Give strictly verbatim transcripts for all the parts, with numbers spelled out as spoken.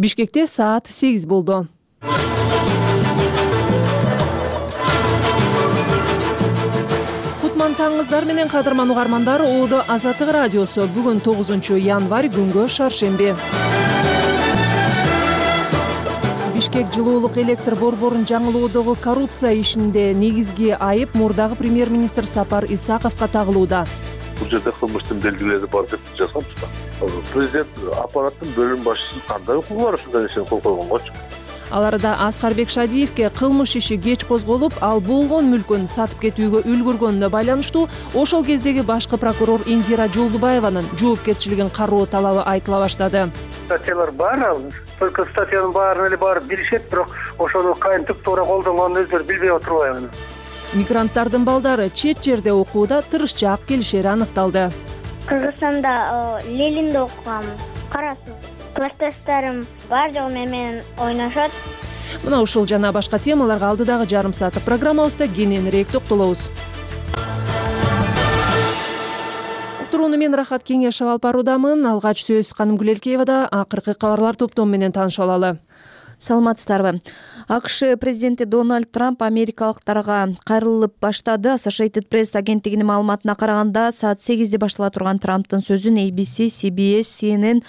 Бишкекте саат сегиз болду. Кутман таңыңыздар менен кадырман угармандар, Оодо Азаттык радиосу. Бүгүн тогузунчу январь, күнгө шаршемби. Бишкек жылуулук электр борборун жаңылоодогу коррупция ишинде негизги айып мурдагы премьер-министр Сапар Исаковго тагылууда. Бул жерде кылмыштын белгилери бар деп жазганбыз да. Президент аппараттын бөлүм башчысы кандай укугу бар ушундай нерсени кол койгонгочу? Аларда Аскарбек Шадиевке кылмыш иши кеч козголуп, ал болгон мүлкүн сатып кетүүгө үлгүргөнүнө байланыштуу ошол кездеги башкы прокурор Индира Жолдубаеванын жоопкерчилигин кароо талабы айтыла баштады. Статьялар бар, только статьянын баарын эле барып билишет, бирок ошону кантип туура колдонгонун өздөрү билбей отурбайбы. Мигранттардын балдары чет жерде окууда тырышчаак келишери аныкталды. Кыргызстанда Ленинде окугам. Карасыз, классташтарым бар жол менен ойношот. Мына ушул жана башка темаларга алдыдагы жарым сааттык программабызда кененирээк токтолобуз. Уктурууну мен Рахат Кеңешев алып баруудамын. Алгач сөз Каным Гүлелкеевада. Акыркы кабарлар топтому менен таанышып алалы. Саламатсыздарбы. АКШ президенти Дональд Трамп америкалыктарга кайрылып баштады. Associated Press агенттигинин маалыматына караганда, саат сегизде баштала турган Трамптын сөзүн A B C, C B S, C N N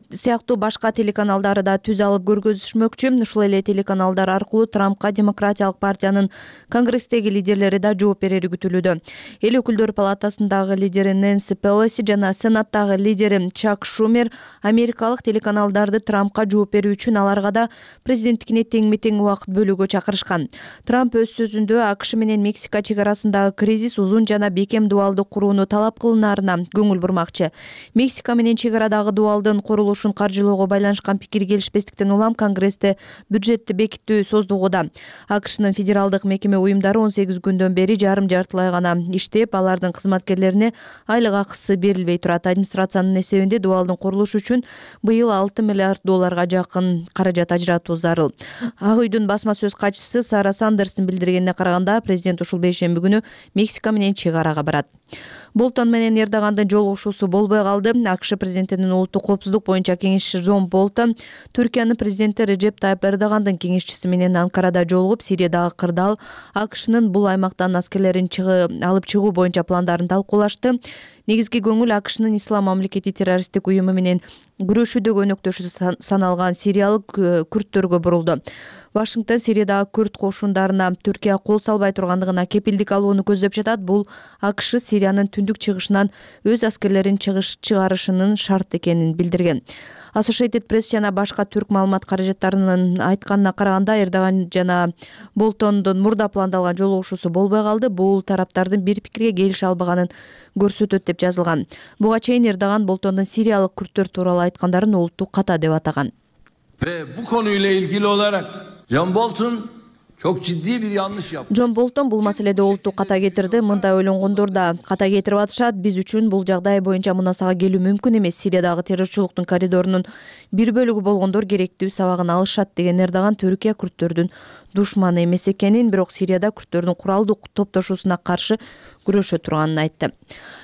сыяктуу башка телеканалдары да түз алып көргөзүшмөкчү. Ушул эле телеканалдар аркылуу Трампка Демократиялык партиянын Конгресстеги лидерлери да жооп берери күтүлүүдө. Эл өкүлдөр палатасындагы лидери Нэнси Пелоси жана Сенаттагы лидери Чак Шумер америкалык телеканалдарды Трампка жооп берүү үчүн аларга да президенттикине теңме-тең убакыт бөлүүгө чакырышкан. Трамп өз сөзүндө АКШ менен Мексика чек арасындагы кризис узун жана бекем дубалды курууну талап кылынаарына көңүл бурмакчы. Мексика менен чек арадагы дубалдын курулушу каржылоого байланышкан пикир келишпестиктен улам Конгрессте бюджетти бекитүү создугуда. АКШнын федералдык мекеме уюмдары он сегиз күндөн бери жарым жартылай гана иштеп, алардын кызматкерлерине айлык акысы берилбей турат. Администрациянын эсебинде дубалдын курулушу үчүн быйыл алты миллиард долларга жакын каражат ажыратуу зарыл. Ак үйдүн басма сөз катчысы Сара Сандерстин билдиргенине караганда, президент ушул бейшемби күнү Мексика менен чек арага барат. Болтон менен Эрдогандын жолугушуусу болбой калды. АКШ президентинин улуттук коопсуздук боюнча кеңешчиси Джон Болтон Түркиянын президенти Реджеп Тайып Эрдогандын кеңешчиси менен Анкарада жолугуп, Сириядагы кырдаал, АКШнын бул аймактан аскерлерин алып чыгуу боюнча пландарын талкуулашты. Негизги көңүл АКШнын Ислам мамлекети террористтик уюму менен күрөшүүдөгү өнөктөшү саналган сириялык күрттөргө бурулду. Вашингтон Сириядагы күрт кошундарына Түркия кол салбай тургандыгына кепилдик алууну көздөп жатат. Бул АКШ Сириянын түндүк чыгышынан өз аскерлерин чыгарышынын шарт экенин билдирген. Associated Press жана башка түрк маалымат каражаттарынын айтканына караганда, Эрдоган жана Болтондун мурда пландалган жолугушуусу болбой калды. Бул тараптардын бир пикирге келише албаганын көрсөтөт деп жазылган. Буга чейин Эрдоган Болтондун сириялык күрттөр тууралуу айткандарын улуттук ката деп атаган. Ve bu konuyla ilgili olarak John Bolton çok ciddi bir yanlış yaptı. Джон Болтон бул маселеде улуттук ката кетирди. Мындай ойлонгондор да ката кетирип атышат. Биз үчүн бул жагдай боюнча мунасага келүү мүмкүн эмес. Сириядагы террорчулуктун коридорунун бир бөлүгү болгондор керектүү сабагын алышат деген Эрдоган Түркия күрттөрдүн душманы эмес экенин, бирок Сирияда күрттөрдүн куралдуу топтошуусуна каршы күрөшө турганын айтты.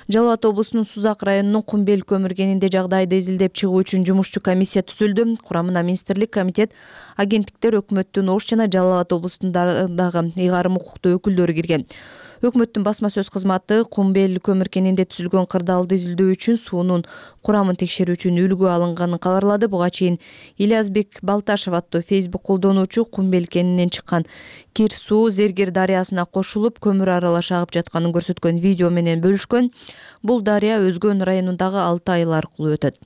Жалал Абад облусунун Сузак районунун Кумбел көмүргенинде жагдайды изилдеп чыгуу үчүн жумушчу комиссия түзүлдү. Курамына министрлик, комитет, агенттиктер, өкмөттүн Ош жана Жалал Абад облусундагы ыйгарым укуктуу өкүлдөрү кирген. Өкмөттүн басма сөз кызматы Кумбел көмүркенинде түзүлгөн кырдаалды изилдөө үчүн суунун курамын текшерүү үчүн үлгү алынганын кабарлады. Буга чейин Ильязбек Балташев аттуу Facebook колдонуучу Кумбел кенинен чыккан кир суу Зергер дарыясына кошулуп, көмүр аралаш агып жатканын көрсөткөн видео менен бөлүшкөн. Бул дарыя Өзгөн районундагы алты айыл аркылуу өтөт.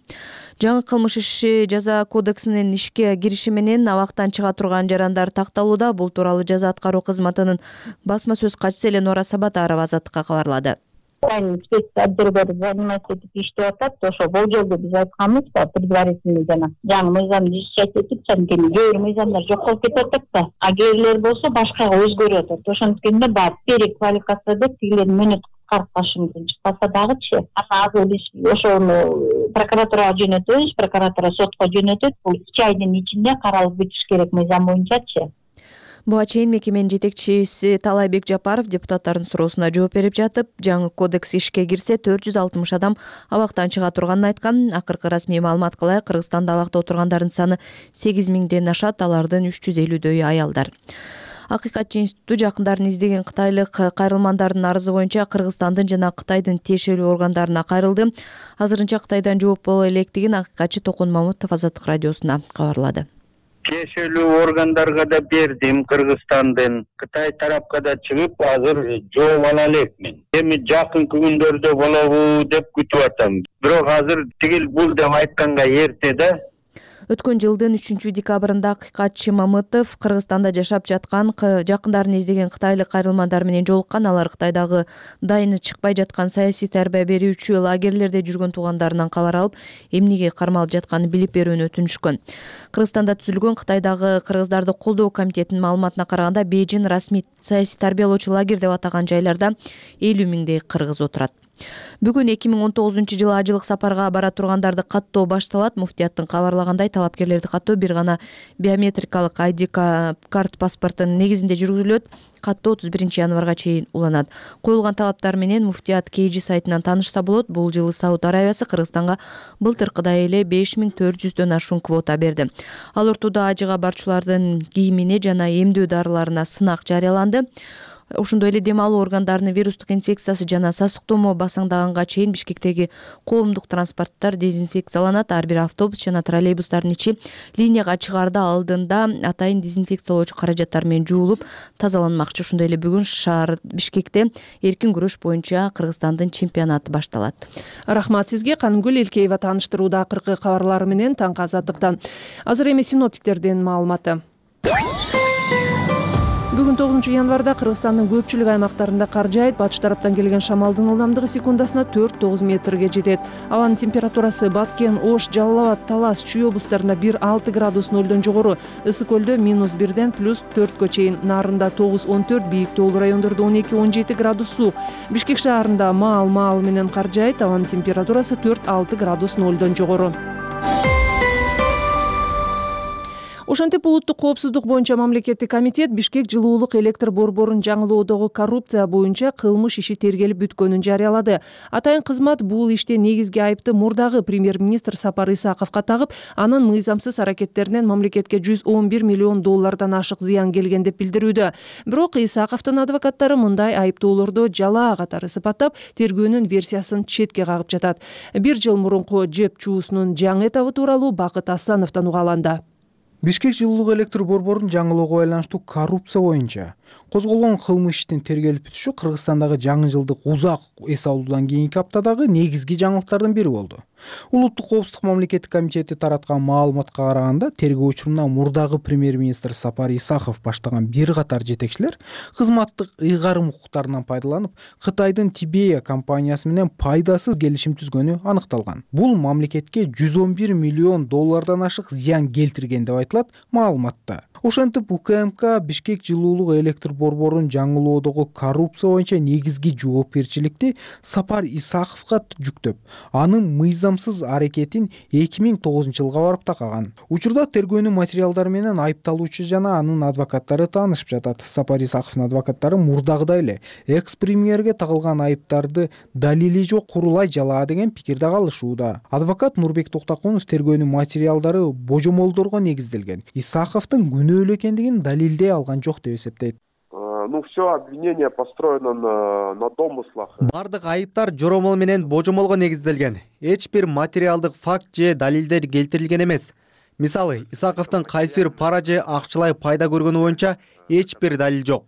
Жаңы кылмыш иши жаза кодексинин ишке кириши менен абактан чыга турган жарандар такталууда. Бул тууралуу жаза аткаруу кызматынын басма сөз катчысы Эленора Сабатарова Азаттыкка кабарлады. Отделдер заниматься этип иштеп атат. Ошо болжолду биз айтканбыз да, предварительный жана жаңы мыйзамды ишчет этип, анткени кээ бир мыйзамдар жок болуп кетип атат да. А кээ бирлер болсо башкага өзгөрүп атат. Ошондуктан баары переквалификация деп тигилердин мөөнөт кыскартып башымыздан чыкпаса дагычы. Азыр биз ошону прокуратурага жөнөтөбүз, прокуратура сотко жөнөтөт. Бул үч айдын ичинде каралып бүтүш керек мыйзам боюнчачы. Буга чейин мекеменин жетекчиси Талайбек Жапаров депутаттардын суроосуна жооп берип жатып, жаңы кодекс ишке кирсе төрт жүз алтымыш адам абактан чыга турганын айткан. Акыркы расмий маалыматка ылайык Кыргызстанда абакта отургандардын саны сегиз миңден ашат, алардын үч жүз элүүдөйү аялдар. Акыйкатчы институту жакындарын издеген кытайлык кайрылмандардын арызы боюнча Кыргызстандын жана Кытайдын тиешелүү органдарына кайрылды. Азырынча Кытайдан жооп боло электигин акыйкатчы Токун Мамутов Азаттык радиосуна кабарлады. Тиешелүү органдарга да бердим, Кыргызстандын, Кытай тарапка да чыгып, азыр жооп ала элекмин. Эми жакынкы күндөрдө болобу деп күтүп атам. Бирок азыр тигил бул деп айтканга эрте да. Өткөн жылдын үчүнчү декабрында акыйкатчы Мамытов Кыргызстанда жашап жаткан жакындарын издеген кытайлык кайрылмандар менен жолуккан. Алар Кытайдагы дайыны чыкпай жаткан саясий тарбия берүүчү лагерлерде жүргөн туугандарынан кабар алып, эмнеге кармалып жатканын билип берүүнү өтүнүшкөн. Кыргызстанда түзүлгөн Кытайдагы кыргыздарды колдоо комитетинин маалыматына караганда, Бейжин расмий саясий тарбиялоочу лагерь деп атаган жайларда элүү миңдей кыргыз отурат. Бүгүн эки миң он тогузунчу жылы ажылык сапарга бара тургандарды каттоо башталат. Муфтияттын кабарлагандай, талапкерлерди каттоо бир гана биометрикалык ай ди карт паспортунун негизинде жүргүзүлөт. Каттоо отуз биринчи январга чейин уланат. Коюлган талаптар менен Муфтият кей жи сайтынан таанышса болот. Бул жылы Сауд Арабиясы Кыргызстанга былтыркыдай эле беш миң төрт жүздөн ашуун квота берди. Ал ортодо ажыга барчулардын кийимине жана эмдөө дарыларына сынак жарыяланды. Ошондой эле дем алуу органдарынын вирустук инфекциясы жана сасыктомо басаңдаганга чейин Бишкектеги коомдук транспорттор дезинфекцияланат. Ар бир автобус жана троллейбустардын ичи линияга чыгаарда алдында атайын дезинфекциялоочу каражаттар менен жуулуп тазаланмакчы. Ошондой эле бүгүн шаар Бишкекте эркин күрөш боюнча Кыргызстандын чемпионаты башталат. Рахмат сизге. Канымгүл Элкеева тааныштырууда акыркы кабарлары менен таңкы азаттыктан. Азыр эми синоптиктердин маалыматы. Бүгүн тогузунчу январда Кыргызстандын көпчүлүк аймактарында кар жаайт. Батыш тараптан келген шамалдын ылдамдыгы секундасына төрт тогуз метрге жетет. Абанын температурасы Баткен, Ош, Жалал Абад, Талас, Чүй облустарында бир алты градус нөлдөн жогору, Ысык көлдө минус бирден плюс төрткө чейин, Нарында тогуз он төрт, бийик тоолуу райондордо он эки он жети градус суу. Бишкек шаарында маал-маал менен кар жаайт. Абанын температурасы төрт алты градус нөлдөн жогору. Ошентип улуттук коопсуздук боюнча мамлекеттик комитет Бишкек жылуулук электр борборун жаңылоодогу коррупция боюнча кылмыш иши тергелип бүткөнүн жарыялады. Атайын кызмат бул иште негизги айыпты мурдагы премьер-министр Сапар Исаковго тагып, анын мыйзамсыз аракеттеринен мамлекетке жүз он бир миллион доллардан ашык зыян келген деп билдирүүдө. Бирок Исаковдун адвокаттары мындай айыптоолорду жалаа катары сыпаттап, тергөөнүн версиясын четке кагып жатат. Бир жыл мурунку жеп чуусунун жаңы этабы тууралуу Бакыт Аслановдон угаланды. Бишкек жылуулук электр борборун жаңылоого байланыштуу коррупция боюнча козголгон кылмыш иштин тергелип бүтүшү Кыргызстандагы жаңы жылдык узак эс алуудан кийинки аптадагы негизги жаңылыктардын бири болду. Улуттук коопсуздук мамлекеттик комитети тараткан маалыматка караганда, тергөө учуруна мурдагы премьер-министр Сапар Исаков баштаган бир катар жетекчилер кызматтык ыйгарым укуктарынан пайдаланып, Кытайдын Тибея компаниясы менен пайдасыз келишим түзгөнү аныкталган. Бул мамлекетке жүз он бир миллион доллардан ашык зыян келтирген деп айтылат маалыматта. Ошентип У К М К Бишкек жылуулук электр борборун жаңылоодогу коррупция боюнча негизги жоопкерчиликти Сапар Исаковго жүктөп, анын мыйзамсыз аракетин эки миң тогузунчу жылга барып такаган. Учурда тергөөнүн материалдары менен айыпталуучу жана анын адвокаттары таанышып жатат. Сапар Исаковдун адвокаттары мурдагыдай эле экс-премьерге тагылган айыптарды далили жок курулай жалаа деген пикирде калышууда. Адвокат Нурбек Токтокунов тергөөнүн материалдары божомолдорго негизделген, Исаковдун күнөөлүү экендигин далилдей алган жок деп эсептейт. Ну, все обвинение построено на, на домыслах. Бардык айыптар жоромол менен божомолго негизделген. Эч бир материалдык факт же далилдер келтирилген эмес. Мисалы, Исаковдун кайсы бир пара же акчалай пайда көргөнү боюнча эч бир далил жок.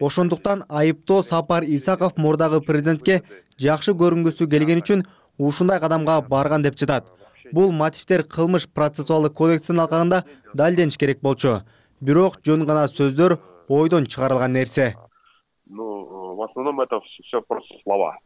Ошондуктан айыптоо Сапар Исаков мурдагы президентке жакшы көрүнгүсү келген үчүн ушундай кадамга барган деп жатат. Бул мотивдер кылмыш процессуалдык кодекстин алкагында далилдениш керек болчу. Бирок жөн гана сөздөр, ойдон чыгарылган нерсе. Ну, в основном это все просто слова.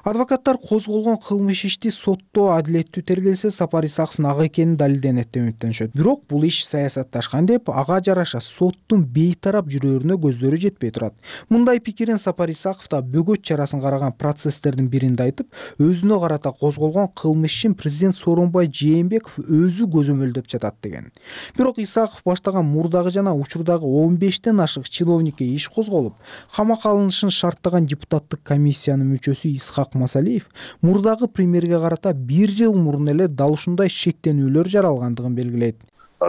Адвокаттар козголгон кылмыш ишти сотто адилеттүү тергелсе Сапар Исаковдун ак экени далилденет деп үмүттөнүшөт. Бирок бул иш саясатташкан деп ага жараша соттун бейтарап жүрөрүнө көздөрү жетпей турат. Мындай пикирин Сапар Исаков да бөгөт чарасын караган процесстердин биринде айтып, өзүнө карата козголгон кылмыш ишин президент Сооронбай Жээнбеков өзү көзөмөлдөп жатат деген. Бирок Исаков баштаган мурдагы жана учурдагы он бештен ашык чиновникке иш козголуп, камакка алынышын шарттаган депутаттык комиссиянын мүчөсү Исхак Масалиев мурдагы премьерге карата бир жыл мурун эле дал ушундай шектенүүлөр жаралгандыгын белгилейт.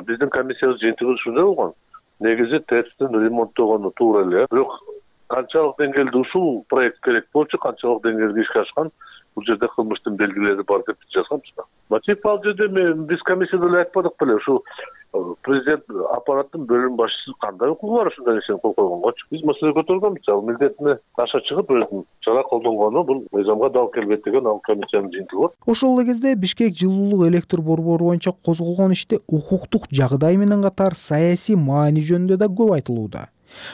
Биздин комиссиябыз жыйынтыгы ушундай болгон. Негизи ТЭЦтин ремонттогону туура эле. Бирок канчалык деңгээлде ушул проект керек болчу, канчалык деңгээлде ишке ашкан, бул жерде кылмыштын белгилери бар деп жазганбыз да. Мотив ал жерде биз комиссияда эле айтпадык беле, ушу президент аппараттын бөлүм башчысы кандай укугу бар ушундай нерсени кол койгонгочу. Биз маселе көтөргөнбүз, ал милдетине таша чыгып өзүнүн чара колдонгону бул мыйзамга дал келбейт деген ал комиссиянын жыйынтыгы бар. Ошол эле кезде Бишкек жылуулук электр борбору боюнча козголгон иште укуктук жагдай менен катар саясий маани жөнүндө да көп айтылууда.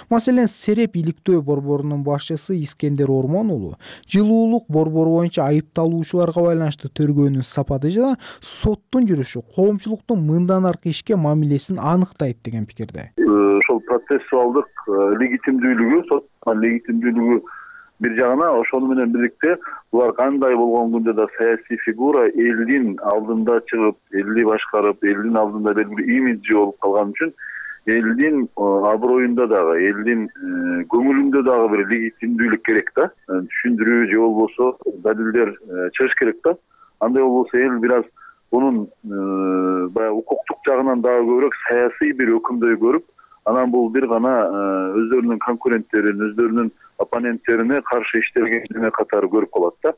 Маселен, Сереп иликтөө борборунун башчысы Искендер Ормон уулу жылуулук борбору боюнча айыпталуучуларга байланыштуу тергөөнүн сапаты жана соттун жүрүшү коомчулуктун мындан аркы ишке мамилесин аныктайт деген пикирде. Ошол процессуалдык легитимдүүлүгү, соттун легитимдүүлүгү бир жагына, ошону менен бирикте булар кандай болгон күндө да саясий фигура элдин алдында чыгып, элди башкарып, элдин алдында белгилүү имиджи болуп калган үчүн элдин аброюнда дагы, элдин көңүлүндө дагы бир легитимдүүлүк керек да. Түшүндүрүү же болбосо далилдер чыгыш керек да. Андай болбосо эл бир аз бунун баягы укуктук жагынан дагы көбүрөөк саясий бир өкүмдөй көрүп, анан бул бир гана өздөрүнүн конкуренттерин, өздөрүнүн оппоненттерине каршы иштелгенине катары көрүп калат да.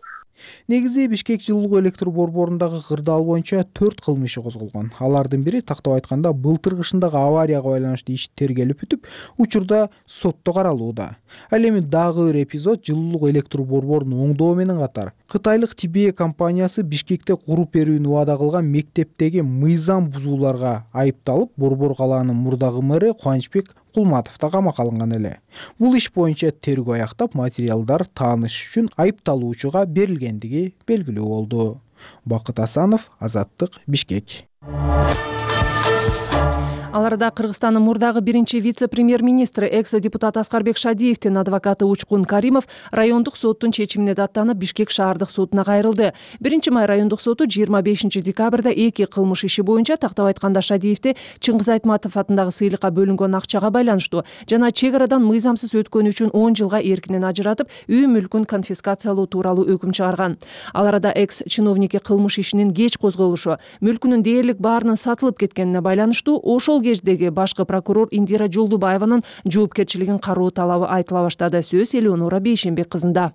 Негизи Бишкек жылуулук электр борборундагы кырдаал боюнча төрт кылмыш иши козголгон. Алардын бири тактап айтканда былтыр кышындагы аварияга байланыштуу иш тергелип бүтүп, учурда сотто каралууда. Ал эми дагы бир эпизод жылуулук электр борборун оңдоо менен катар кытайлык Тибе компаниясы Бишкекте куруп берүүнү убада кылган мектептеги мыйзам бузууларга айыпталып, борбор калаанын мурдагы мэри Кубанычбек Кулматов да камакка алынган эле. Бул иш боюнча тергөө аяктап, материалдар тааныш үчүн айыпталуучуга берилгендиги белгилүү болду. Бакыт Асанов, Азаттык, Бишкек. Ал арада Кыргызстандын мурдагы биринчи вице-премьер-министри экс-депутат Аскарбек Шадиевдин адвокаты Учкун Каримов райондук соттун чечимине даттанып Бишкек шаардык сотуна кайрылды. биринчи май райондук соту жыйырма бешинчи декабрда эки кылмыш иши боюнча, тактап айтканда Шадиевди Чыңгыз Айтматов атындагы сыйлыкка бөлүнгөн акчага байланыштуу жана чек арадан мыйзамсыз өткөнү үчүн он жылга эркинен ажыратып, үй мүлкүн конфискациялоо тууралуу өкүм чыгарган. Ал арада экс-чиновникке кылмыш ишинин кеч козголушу, мүлкүнүн дээрлик баарынын сатылып кеткенине байланыштуу ошол кездеги башкы прокурор Индира Жолдубаеванын жоопкерчилигин кароо талабы айтыла баштады. Сөз Элеонора Бейшенбек кызында.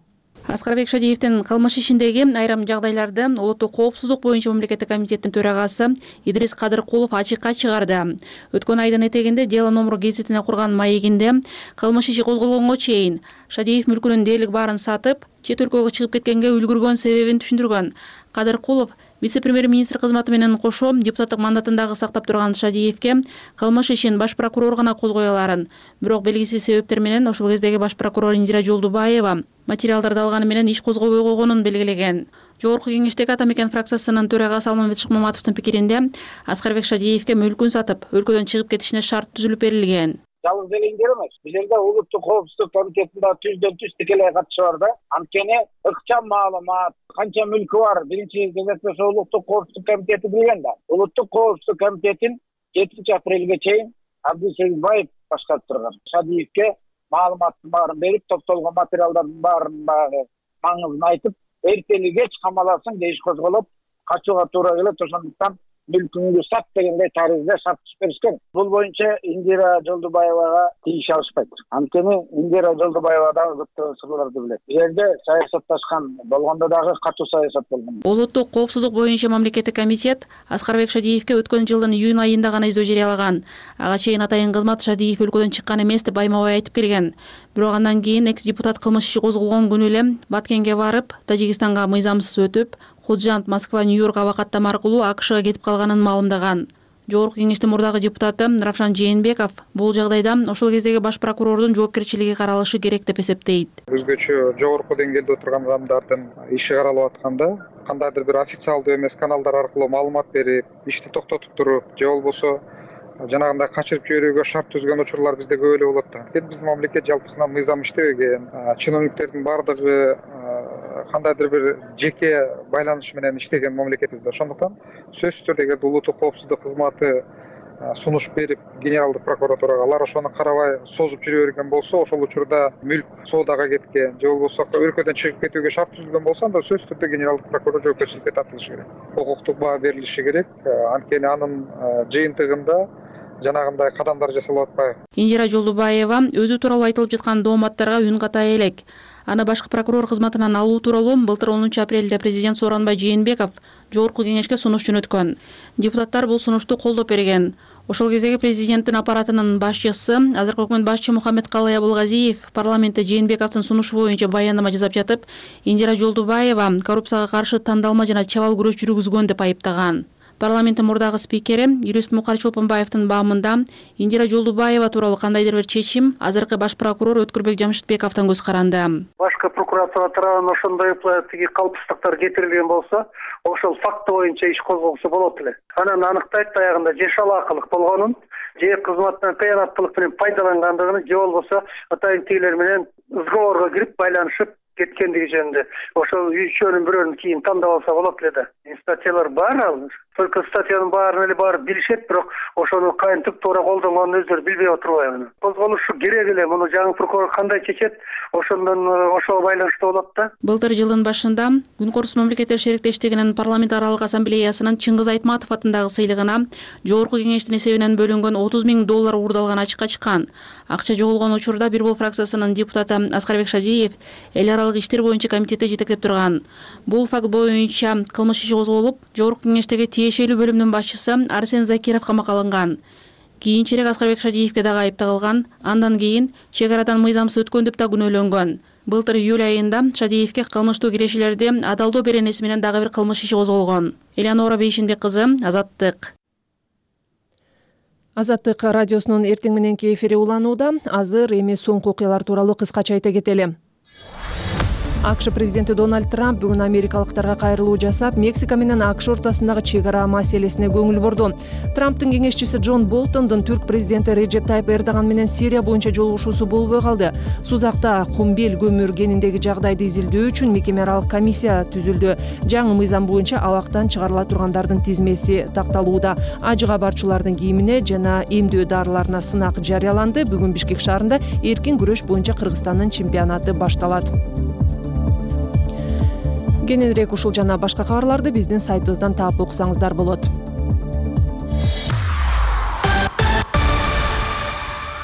Аскарбек Шадиевдин кылмыш ишиндеги айрым жагдайларды улуттук коопсуздук боюнча мамлекеттик комитеттин төрагасы Идрис Кадыркулов ачыкка чыгарды. Өткөн айдын этегинде Дело номер гезитине курган маегинде кылмыш иши козголгонго чейин Шадиев мүлкүнүн дээрлик баарын сатып, чет өлкөгө чыгып кеткенге үлгүргөн себебин түшүндүргөн. Кадыркулов вице-премьер-министр кызматы менен кошо депутаттык мандатын дагы сактап турган Шадиевке кылмыш ишин баш прокурор гана козгой аларын, бирок белгисиз себептер менен ошол кездеги баш прокурор Индира Жолдубаева материалдарды алганы менен иш козгобой койгонун белгилеген. Жогорку кеңештеги Ата Мекен фракциясынын төрагасы Алмамбет Шыкмаматовдун пикиринде Аскарбек Шадиевке мүлкүн сатып, өлкөдөн чыгып кетишине шарт түзүлүп берилген. Жалгыз делеңдер эмес. Бул жерде улуттук коопсуздук комитетинде түздөн түз тикелей катышы бар да. Анткени ыкчам маалымат, канча мүлкү бар, биринчи кезекте улуттук коопсуздук комитети билген да. Улуттук коопсуздук комитетин жетинчи апрелге чейин Абдусейитбаев башкарып турган. Шадиевке маалыматтын баарын берип, топтолгон материалдардын баарын багы маңызын айтып, эртели кеч камаласың дейиш козголуп, качууга туура келет. Ошондуктан мүлкүңдү сат дегендей таризде шарт түзүп беришкен. Бул боюнча Индира Жолдубаевага тийише алышпайт. Анткени Индира Жолдубаева дагы көптөгөн сырларды билет. Бул жерде саясатташкан болгондо дагы катуу саясат болгон. Улуттук коопсуздук боюнча мамлекеттик комитет Аскарбек Шадиевке өткөн жылдын июнь айында гана издөө жарыялаган. Ага чейин атайын кызмат Шадиев өлкөдөн чыккан эмес деп байма-бай айтып келген. Бирок андан кийин экс-депутат кылмыш иши козголгон күнү эле Баткенге барып, Тажикстанга мыйзамсыз өтүп, Худжант, Москва, Нью-Йорк аба каттама аркылуу АКШга кетип калганын маалымдаган. Жогорку кеңештин мурдагы депутаты Равшан Жээнбеков бул жагдайда ошол кездеги баш прокурордун жоопкерчилиги каралышы керек деп эсептейт. Өзгөчө жогорку деңгээлде отурган адамдардын иши каралып атканда кандайдыр бир официалдуу эмес каналдар аркылуу маалымат берип, ишти токтотуп туруп, же болбосо жанагындай качырып жиберүүгө шарт түзгөн учурлар бизде көп эле болот да. Анткени биздин мамлекет жалпысынан мыйзам иштебеген, чиновниктердин баардыгы кандайдыр бир жеке байланыш менен иштеген мамлекетибизде. Ошондуктан сөзсүз түрдө эгерде улуттук коопсуздук кызматы сунуш берип генералдык прокуратурага алар ошону карабай созуп жүрө берген болсо, ошол учурда мүлк соодага кеткен же болбосо өлкөдөн чыгып кетүүгө шарт түзүлгөн болсо, анда сөзсүз түрдө генералдык прокурор жоопкерчиликке тартылышы керек. Укуктук баа берилиши керек. Анткени анын жыйынтыгында жанагындай кадамдар жасалып атпайбы. Индира Жолдубаева өзү тууралуу айтылып жаткан дооматтарга үн катай элек. Аны башкы прокурор кызматынан алуу тууралуу былтыр онунчу апрелде президент Сооронбай Жээнбеков жогорку кеңешке сунуш жөнөткөн. Депутаттар бул сунушту колдоп берген. Ошол кездеги президенттин аппаратынын башчысы, азыркы өкмөт башчы Мухаммедкалый Абылгазиев парламентте Жээнбековдун сунушу боюнча баяндама жасап жатып, Индира Жолдубаева коррупцияга каршы тандалма жана чабал күрөш жүргүзгөн деп айыптаган. Парламенттин мурдагы спикери юрист Мукар Чолпонбаевдин баамында Индира Жолдубаева тууралуу кандайдыр бир чечим азыркы баш прокурор Өткүрбек Жамшитбековдон көз каранды. Башкы прокуратура тарабынан ошондой тиги калпсыздыктар кетирилген болсо, ошол факты боюнча иш козголсо болот эле. Анан аныктайт аягында же шалаакылык болгонун, же кызматтан кыянаттуулук менен пайдалангандыгын, же болбосо атайын тигилер менен сговорго кирип байланышып кеткендиги жөнүндө. Ошол үчөөнүн бирөөнүн кийин тандап алса болот эле да. Статьялар бар ал. Только статьянын баарын эле баары билишет, бирок ошону кантип туура колдонгонун өздөрү билбей отурбайбы. Козголушу керек эле. Муну жаңы прокурор кандай чечет, ошондон ошого байланыштуу болот да. Былтыр жылдын башында Күнкөрүс мамлекеттер шериктештигинин парламент аралык ассамблеясынын Чыңгыз Айтматов атындагы сыйлыгына жогорку кеңештин эсебинен бөлүнгөн отуз миң доллар уурдалган ачыкка чыккан. Акча жоголгон учурда Бир Бол фракциясынын депутаты Аскарбек Шадиев эл аралык иштер боюнча комитетте жетектеп турган. Бул факт боюнча кылмыш иши козголуп, жогорку кеңештеги тиешелүү бөлүмдүн башчысы Арсен Закиров камакка алынган. Кийинчерээк Аскарбек Шадиевке дагы айып тагылган. Андан кийин чек арадан мыйзамсыз өткөн деп да күнөөлөнгөн. Былтыр июль айында Шадиевке кылмыштуу кирешелерди адалдоо беренеси менен дагы бир кылмыш иши козголгон. Элеонора Бейшинбек кызы, Азаттык. Азаттык радиосунун эртең мененки эфири уланууда. Азыр эми соңку окуялар тууралуу кыскача айта кетели. АКШ президенти Дональд Трамп бүгүн америкалыктарга кайрылуу жасап, Мексика менен АКШ ортосундагы чек ара маселесине көңүл бурду. Трамптын кеңешчиси Джон Болтондун түрк президенти Реджеп Тайып Эрдоган менен Сирия боюнча жолугушуусу болбой калды. Сузакта кумбел көмүр кениндеги жагдайды изилдөө үчүн мекеме аралык комиссия түзүлдү. Жаңы мыйзам боюнча абактан чыгарыла тургандардын тизмеси такталууда. Ажыга барчылардын кийимине жана эмдөө дарыларына сынак жарыяланды. Бүгүн Бишкек шаарында эркин күрөш боюнча Кыргызстандын чемпионаты башталат. Кененирээк ушул жана башка кабарларды биздин сайтыбыздан таап окусаңыздар болот.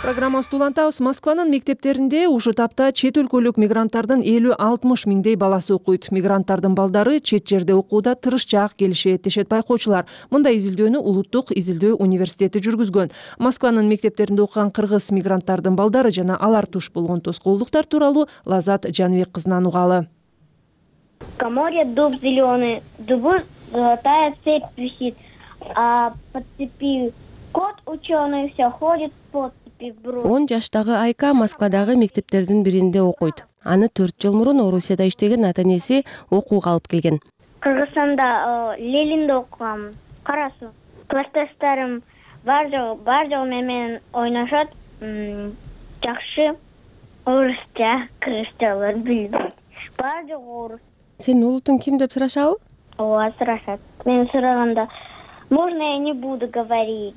Программабызды улантабыз. Москванын мектептеринде ушул тапта чет өлкөлүк мигранттардын элүү алтымыш миңдей баласы окуйт. Мигранттардын балдары чет жерде окууда тырышчаак келишет, дешет байкоочулар. Мындай изилдөөнү Улуттук изилдөө университети жүргүзгөн. Москванын мектептеринде окуган кыргыз мигранттардын балдары жана алар туш болгон тоскоолдуктар тууралуу Лазат Жаныбек кызынан угалы. В коморе дуб зеленый, дубу золотая цепь висит, а по цепи кот ученый все ходит по цепи брус. он жаштагы Айка Москвадагы мектептердин биринде окуйт. Аны төрт жыл мурун Орусияда иштеген ата-энеси окууга алып келген. Кыргызстанда Лелинде окугам. Карасуу. Классташтарым бар жол бар жол менен ойношот. Жакшы орусча, кыргызчалар билбейт. Бар жол орус. Сенин улутуң ким деп сурашабы? Ооба, сурашат. Мен сураганда, можно я не буду говорить?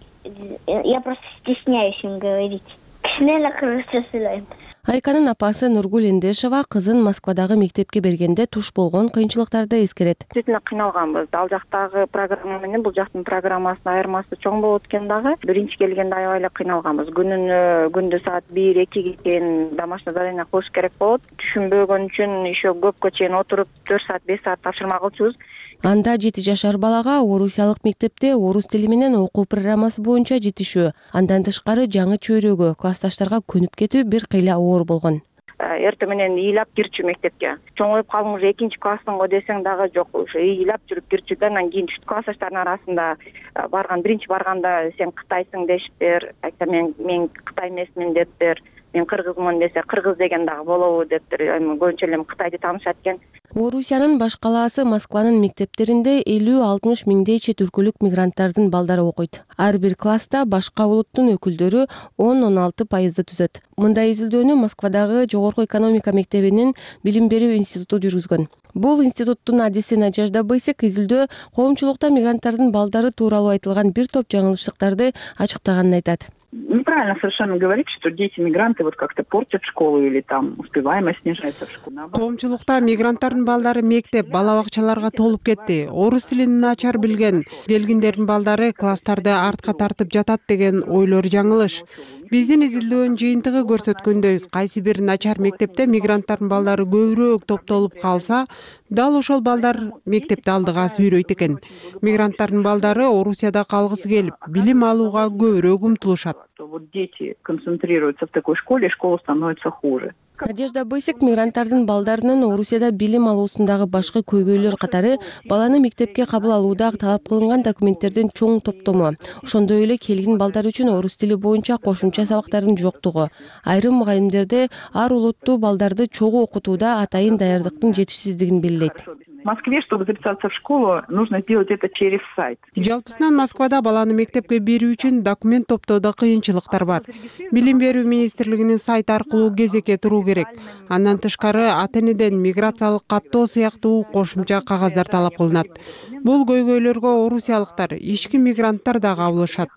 Я просто стесняюсь им говорить. Кичине эле кыргызча сүйлөйм. Айканын апасы Нургул Эндешова кызын Москвадагы мектепке бергенде туш болгон кыйынчылыктарды эскерет. Действительно кыйналганбыз. Ал жактагы программа менен бул жактын программасынын айырмасы чоң болот экен дагы. Биринчи келгенде аябай эле кыйналганбыз. Күнүнө күндө саат бир экиге чейин домашний задание кылыш керек болот. Түшүнбөгөн үчүн еще көпкө чейин отуруп төрт саат беш саат тапшырма кылчубуз. Анда жети жашар балага орусиялык мектепте орус тили менен окуу программасы боюнча жетишүү. Андан тышкары жаңы чөйрөгө, классташтарга көнүп кетүү бир кыйла оор болгон. эртең менен ыйлап кирчү мектепке. Чоңоюп калдың уже экинчи класстың го десең дагы жок, уже ыйлап жүрүп кирчү да. Анан кийин түштүк классташтардын арасында барган биринчи барганда сен Кытайсың дешиптир. Айтсам мен мен Кытай эмесмин дептир. Мен кыргызмын десе кыргыз деген дагы болобу дептир. Эми көбүнчө эле Кытайды таанышат экен. Орусиянын баш калаасы Москванын мектептеринде элүү алтымыш миңдей чет өлкөлүк мигранттардын балдары окуйт. Ар бир класста башка улуттун өкүлдөрү он он алты пайызды түзөт. Мындай изилдөөнү Москвадагы Жогорку экономика мектебинин билим берүү институту жүргүзгөн. Бул институттун адиси Надежда Бысек изилдөө коомчулукта мигранттардын балдары тууралуу айтылган бир топ жаңылыштыктарды ачыктаганын айтат. Неправильно совершенно говорить, что дети-мигранты вот как-то портят школу или там успеваемость снижается в школе. Коомчулукта мигранттардын балдары мектеп, бала бакчаларга толуп кетти. Орус тилин начар билген келгиндердин балдары класстарды артка тартып жатат деген ойлор жаңылыш. Биздин изилдөөнүн жыйынтыгы көрсөткөндөй, кайсы бир начар мектепте мигранттардын балдары көбүрөөк топтолуп калса, дал ошол балдар мектепти алдыга сүйрөйт экен. Мигранттардын балдары Орусияда калгысы келип, билим алууга көбүрөөк умтулушат. Вот дети концентрируются в такой школе, школа становится хуже. Надежда Бысек мигранттардын балдарынын Орусияда билим алуусундагы башкы көйгөйлөр катары баланы мектепке кабыл алууда талап кылынган документтердин чоң топтому, ошондой эле келген балдар үчүн орус тили боюнча кошумча сабактардын жоктугу, айрым мугалимдерде ар улуттуу балдарды чогуу окутууда атайын даярдыктын жетишсиздигин белгилейт. В Москве, чтобы записаться в школу, нужно сделать это через сайт. Жалпысынан Москвада баланы мектепке берүү үчүн документ топтоодо кыйынчылыктар бар. Билим берүү министрлигинин сайт аркылуу кезекке туруу керек. Андан тышкары ата-энеден миграциялык каттоо сыяктуу кошумча кагаздар талап кылынат. Бул көйгөйлөргө орусиялыктар, ички мигранттар да кабылышат.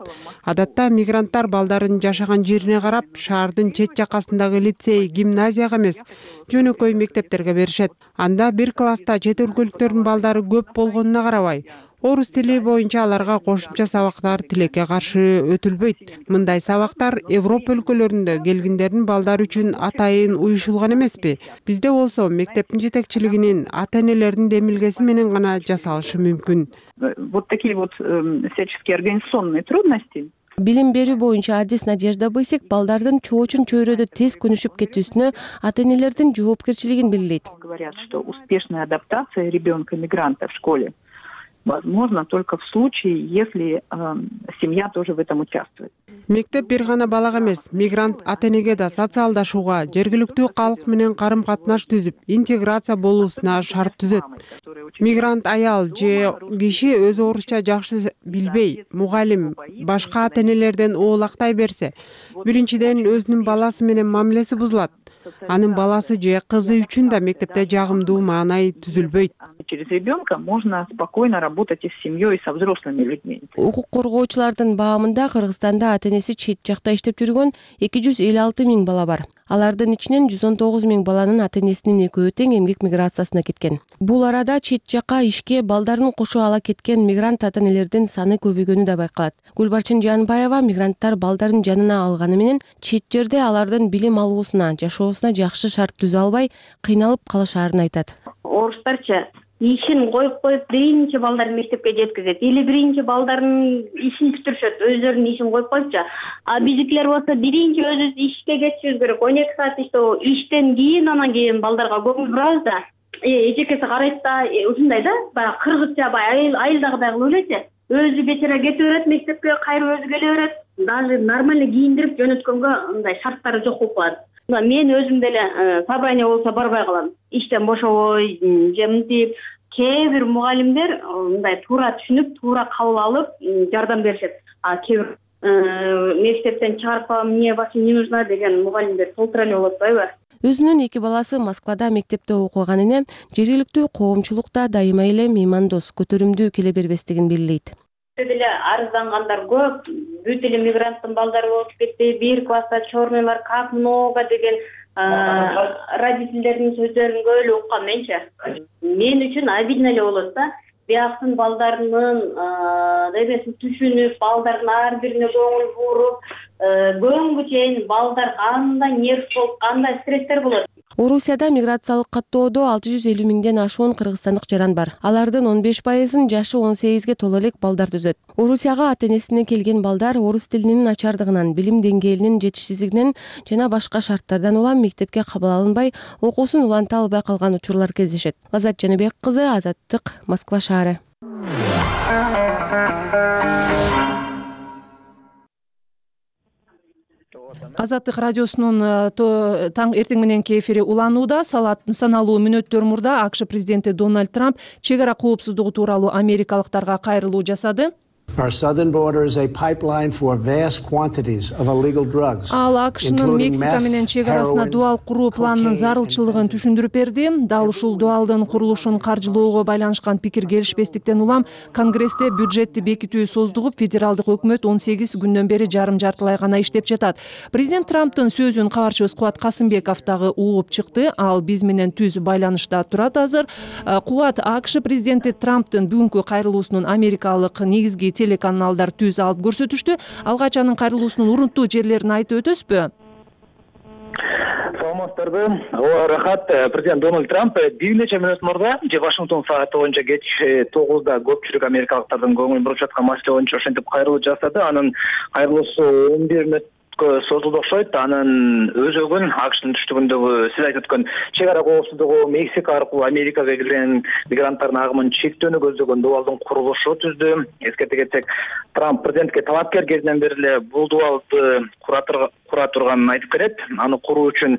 Адатта мигранттар балдарын жашаган жерине карап, шаардын чет жакасындагы лицей, гимназияга эмес, жөнөкөй мектептерге беришет. Анда бир класста чет өлкөлүктөрдүн балдары көп болгонуна карабай, орус тили боюнча аларга кошумча сабактар тилекке каршы өтүлбөйт. Мындай сабактар Европа өлкөлөрүндө келгиндердин балдары үчүн атайын уюшулган эмеспи? Бизде болсо мектептин жетекчилигинин, ата-энелердин демилгеси менен гана жасалышы мүмкүн. Вот такие вот всяческие организационные трудности. Билим берүү боюнча адис Надежда Бысек балдардын чоочун чөйрөдө тез көнүшүп кетүүсүнө ата-энелердин жоопкерчилигин белгилейт. Говорят, что успешная адаптация ребенка-мигранта в школе возможно только в случае, если э, семья тоже в этом участвует. Мектеп бир гана балага эмес, мигрант ата-энеге да социалдашууга, жергиликтүү калк менен карым-катнаш түзүп, интеграция болуусуна шарт түзөт. Мигрант аял же киши өзү орусча жакшы билбей, мугалим башка ата-энелерден оолактай берсе, биринчиден өзүнүн баласы менен мамилеси бузулат. Анын баласы же кызы үчүн да мектепте жагымдуу маанай түзүлбөйт. Через ребенка можно спокойно работать и с семьей, и со взрослыми людьми. Укук коргоочулардын баамында Кыргызстанда ата-энеси чет жакта иштеп жүргөн эки жүз элүү алты миң бала бар. Алардын ичинен жүз он тогуз миң баланын ата-энесинин экөө тең эмгек миграциясына кеткен. Бул арада чет жакка ишке балдарын кошо ала кеткен мигрант ата-энелердин саны көбөйгөнү да байкалат. Гүлбарчын Жанбаева мигранттар балдарын жанына алганы менен чет жерде алардын билим алуусуна, жашоосуна жакшы шарт түзө албай, кыйналып калышаарын айтат. Орустарча ишин коюп коюп биринчи балдарын мектепке жеткизет или биринчи балдарын ишин бүтүрүшөт, өздөрүнүн ишин коюп коюпчу. А биздикилер болсо биринчи өзүбүз ишке кетишибиз керек. он эки саат иштөө, иштен кийин анан кийин балдарга көңүл бурабыз да. Эжекеси карайт да, ушундай да, баягы кыргызча баягы айылдагыдай кылып элечи. Өзү бечара кете берет мектепке, кайра өзү келе берет. Даже нормально кийиндирип жөнөткөнгө мындай шарттары жок болуп калат. Мен өзүм деле собрание болсо барбай калам. Иштен бошобой, же мынтип кээ бир мугалимдер мындай туура түшүнүп, туура кабыл алып жардам беришет. А кээ бир мектептен чыгарып калам, мне вообще не нужна деген мугалимдер толтура эле болот атпайбы? Өзүнүн эки баласы Москвада мектепте окуган эне жергиликтүү коомчулукта дайыма эле меймандос, көтөрүмдүү келе бербестигин белгилейт. Деле арыздангандар көп, бүт эле мигранттын балдары болуп кетти, бир класста черныйлар как много деген родительдердин сөздөрүн көп эле уккам менчи. Мен үчүн обидно эле болот да. Бияктын балдарынын дебесин түшүнүп, балдардын ар бирине көңүл буруп, көңгү чейин балдар кандай нерв болуп, кандай стресстер болот. Орусияда миграциялык каттоодо алты жүз элүү миңден ашуун кыргызстандык жаран бар. Алардын он беш пайызын жашы он сегизге толо элек балдар түзөт. Орусияга ата-энесине келген балдар орус тилинин начардыгынан, билим деңгээлинин жетишсиздигинен жана башка шарттардан улам мектепке кабыл алынбай, окуусун уланта албай калган учурлар кездешет. Азат Жаныбек кызы, Азаттык, Москва шаары. Азаттык радиосунун таң эртең мененки эфири уланууда. Саналуу мүнөттөр мурда АКШ президенти Дональд Трамп чек ара коопсуздугу тууралуу америкалыктарга кайрылуу жасады. Our southern border is a pipeline for vast quantities of illegal drugs. Ал АКШнын Мексика менен чек арасына дуал куруу планынын зарылчылыгын түшүндүрүп берди. Дал ушул дуалдын курулушун каржылоого байланышкан пикир келишпестиктен улам Конгрессте бюджетти бекитүү создугуп, федералдык өкмөт он сегиз күндөн бери жарым жартылай гана иштеп жатат. Президент Трамптын сөзүн кабарчыбыз Кубат Касымбеков дагы угуп чыкты. Ал биз менен түз байланышта турат азыр. Кубат, АКШ президенти Трамптын бүгүнкү кайрылуусунун америкалык негизги телеканалдар түз алып көрсөтүштү. Алгач анын кайрылуусунун урунттуу жерлерин айтып өтөсүзбү? Саламатсыздарбы? Ооба, рахат. Президент Дональд Трамп бир нече мүнөт мурда же Вашингтон сааты боюнча кечки тогузда көпчүлүк америкалыктардын көңүлүн буруп жаткан маселе боюнча ошентип кайрылуу жасады. Анын кайрылуусу он бир мүнөт созулду окшойт. Анын өзөгүн АКШнын түштүгүндөгү сиз айтып өткөн чек ара коопсуздугу Мексика аркылуу Америкага кирген мигранттардын агымын чектөөнү көздөгөн дуалдын курулушу түздү. Эскерте кетсек, Трамп президентке талапкер кезинен бери эле бул дуалды кура турганын айтып келет. Аны куруу үчүн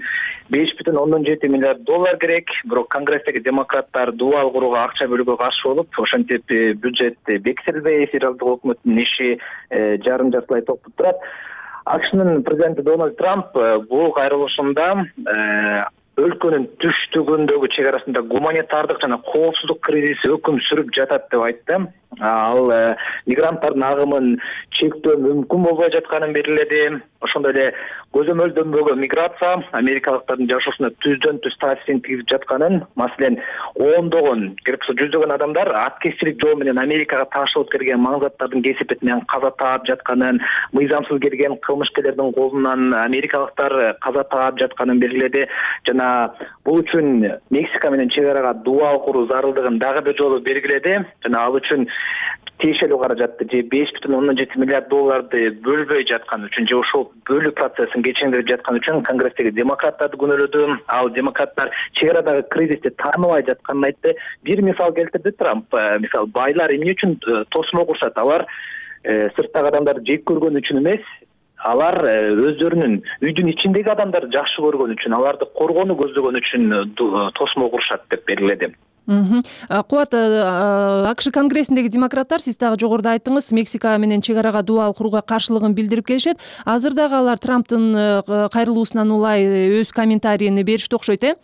беш бүтүн ондон жети миллиард доллар керек. Бирок Конгресстеги демократтар дуал курууга акча бөлүүгө каршы болуп, ошентип бюджет бекитилбей, федералдык өкмөттүн иши жарым жартылай токтоп турат. АКШнын президенти Дональд Трамп бул кайрылышында өлкөнүн түштүгүндөгү чек арасында гуманитардык жана коопсуздук кризиси өкүм сүрүп жатат деп айтты. Ал мигранттардын агымын чектөө мүмкүн болбой жатканын белгиледи. Ошондой эле көзөмөлдөнбөгөн миграция америкалыктардын жашоосуна түздөн түз таасирин тийгизип жатканын, маселен, ондогон, керек болсо жүздөгөн адамдар аткезчилик жол менен Америкага ташылып келген маңзаттардын кесепетинен каза таап жатканын, мыйзамсыз келген кылмышкерлердин колунан америкалыктар каза таап жатканын белгиледи. Жана бул үчүн Мексика менен чек арага дуал куруу зарылдыгын дагы бир жолу белгиледи. Жана ал үчүн тиешелүү каражатты же беш бүтүн ондон жети миллиард долларды бөлбөй жаткан үчүн же ошол бөлүү процессин кечеңдирип жаткан үчүн Конгресстеги демократтарды күнөөлөдү. Ал демократтар чек арадагы кризисти тааныбай жатканын айтты. Бир мисал келтирди Трамп. Мисалы, байлар эмне үчүн тосмо курушат? Алар сырттагы адамдарды жек көргөн үчүн эмес, алар өздөрүнүн үйдүн ичиндеги адамдарды жакшы көргөн үчүн, аларды коргоону көздөгөн үчүн тосмо курушат деп белгиледи. Кубат, АКШ Конгрессиндеги демократтар, сиз дагы жогоруда айттыңыз, Мексика менен чек арага дуал курууга каршылыгын билдирип келишет. Азыр дагы алар Трамптын кайрылуусунан улай өз комментарийин беришти окшойт, э?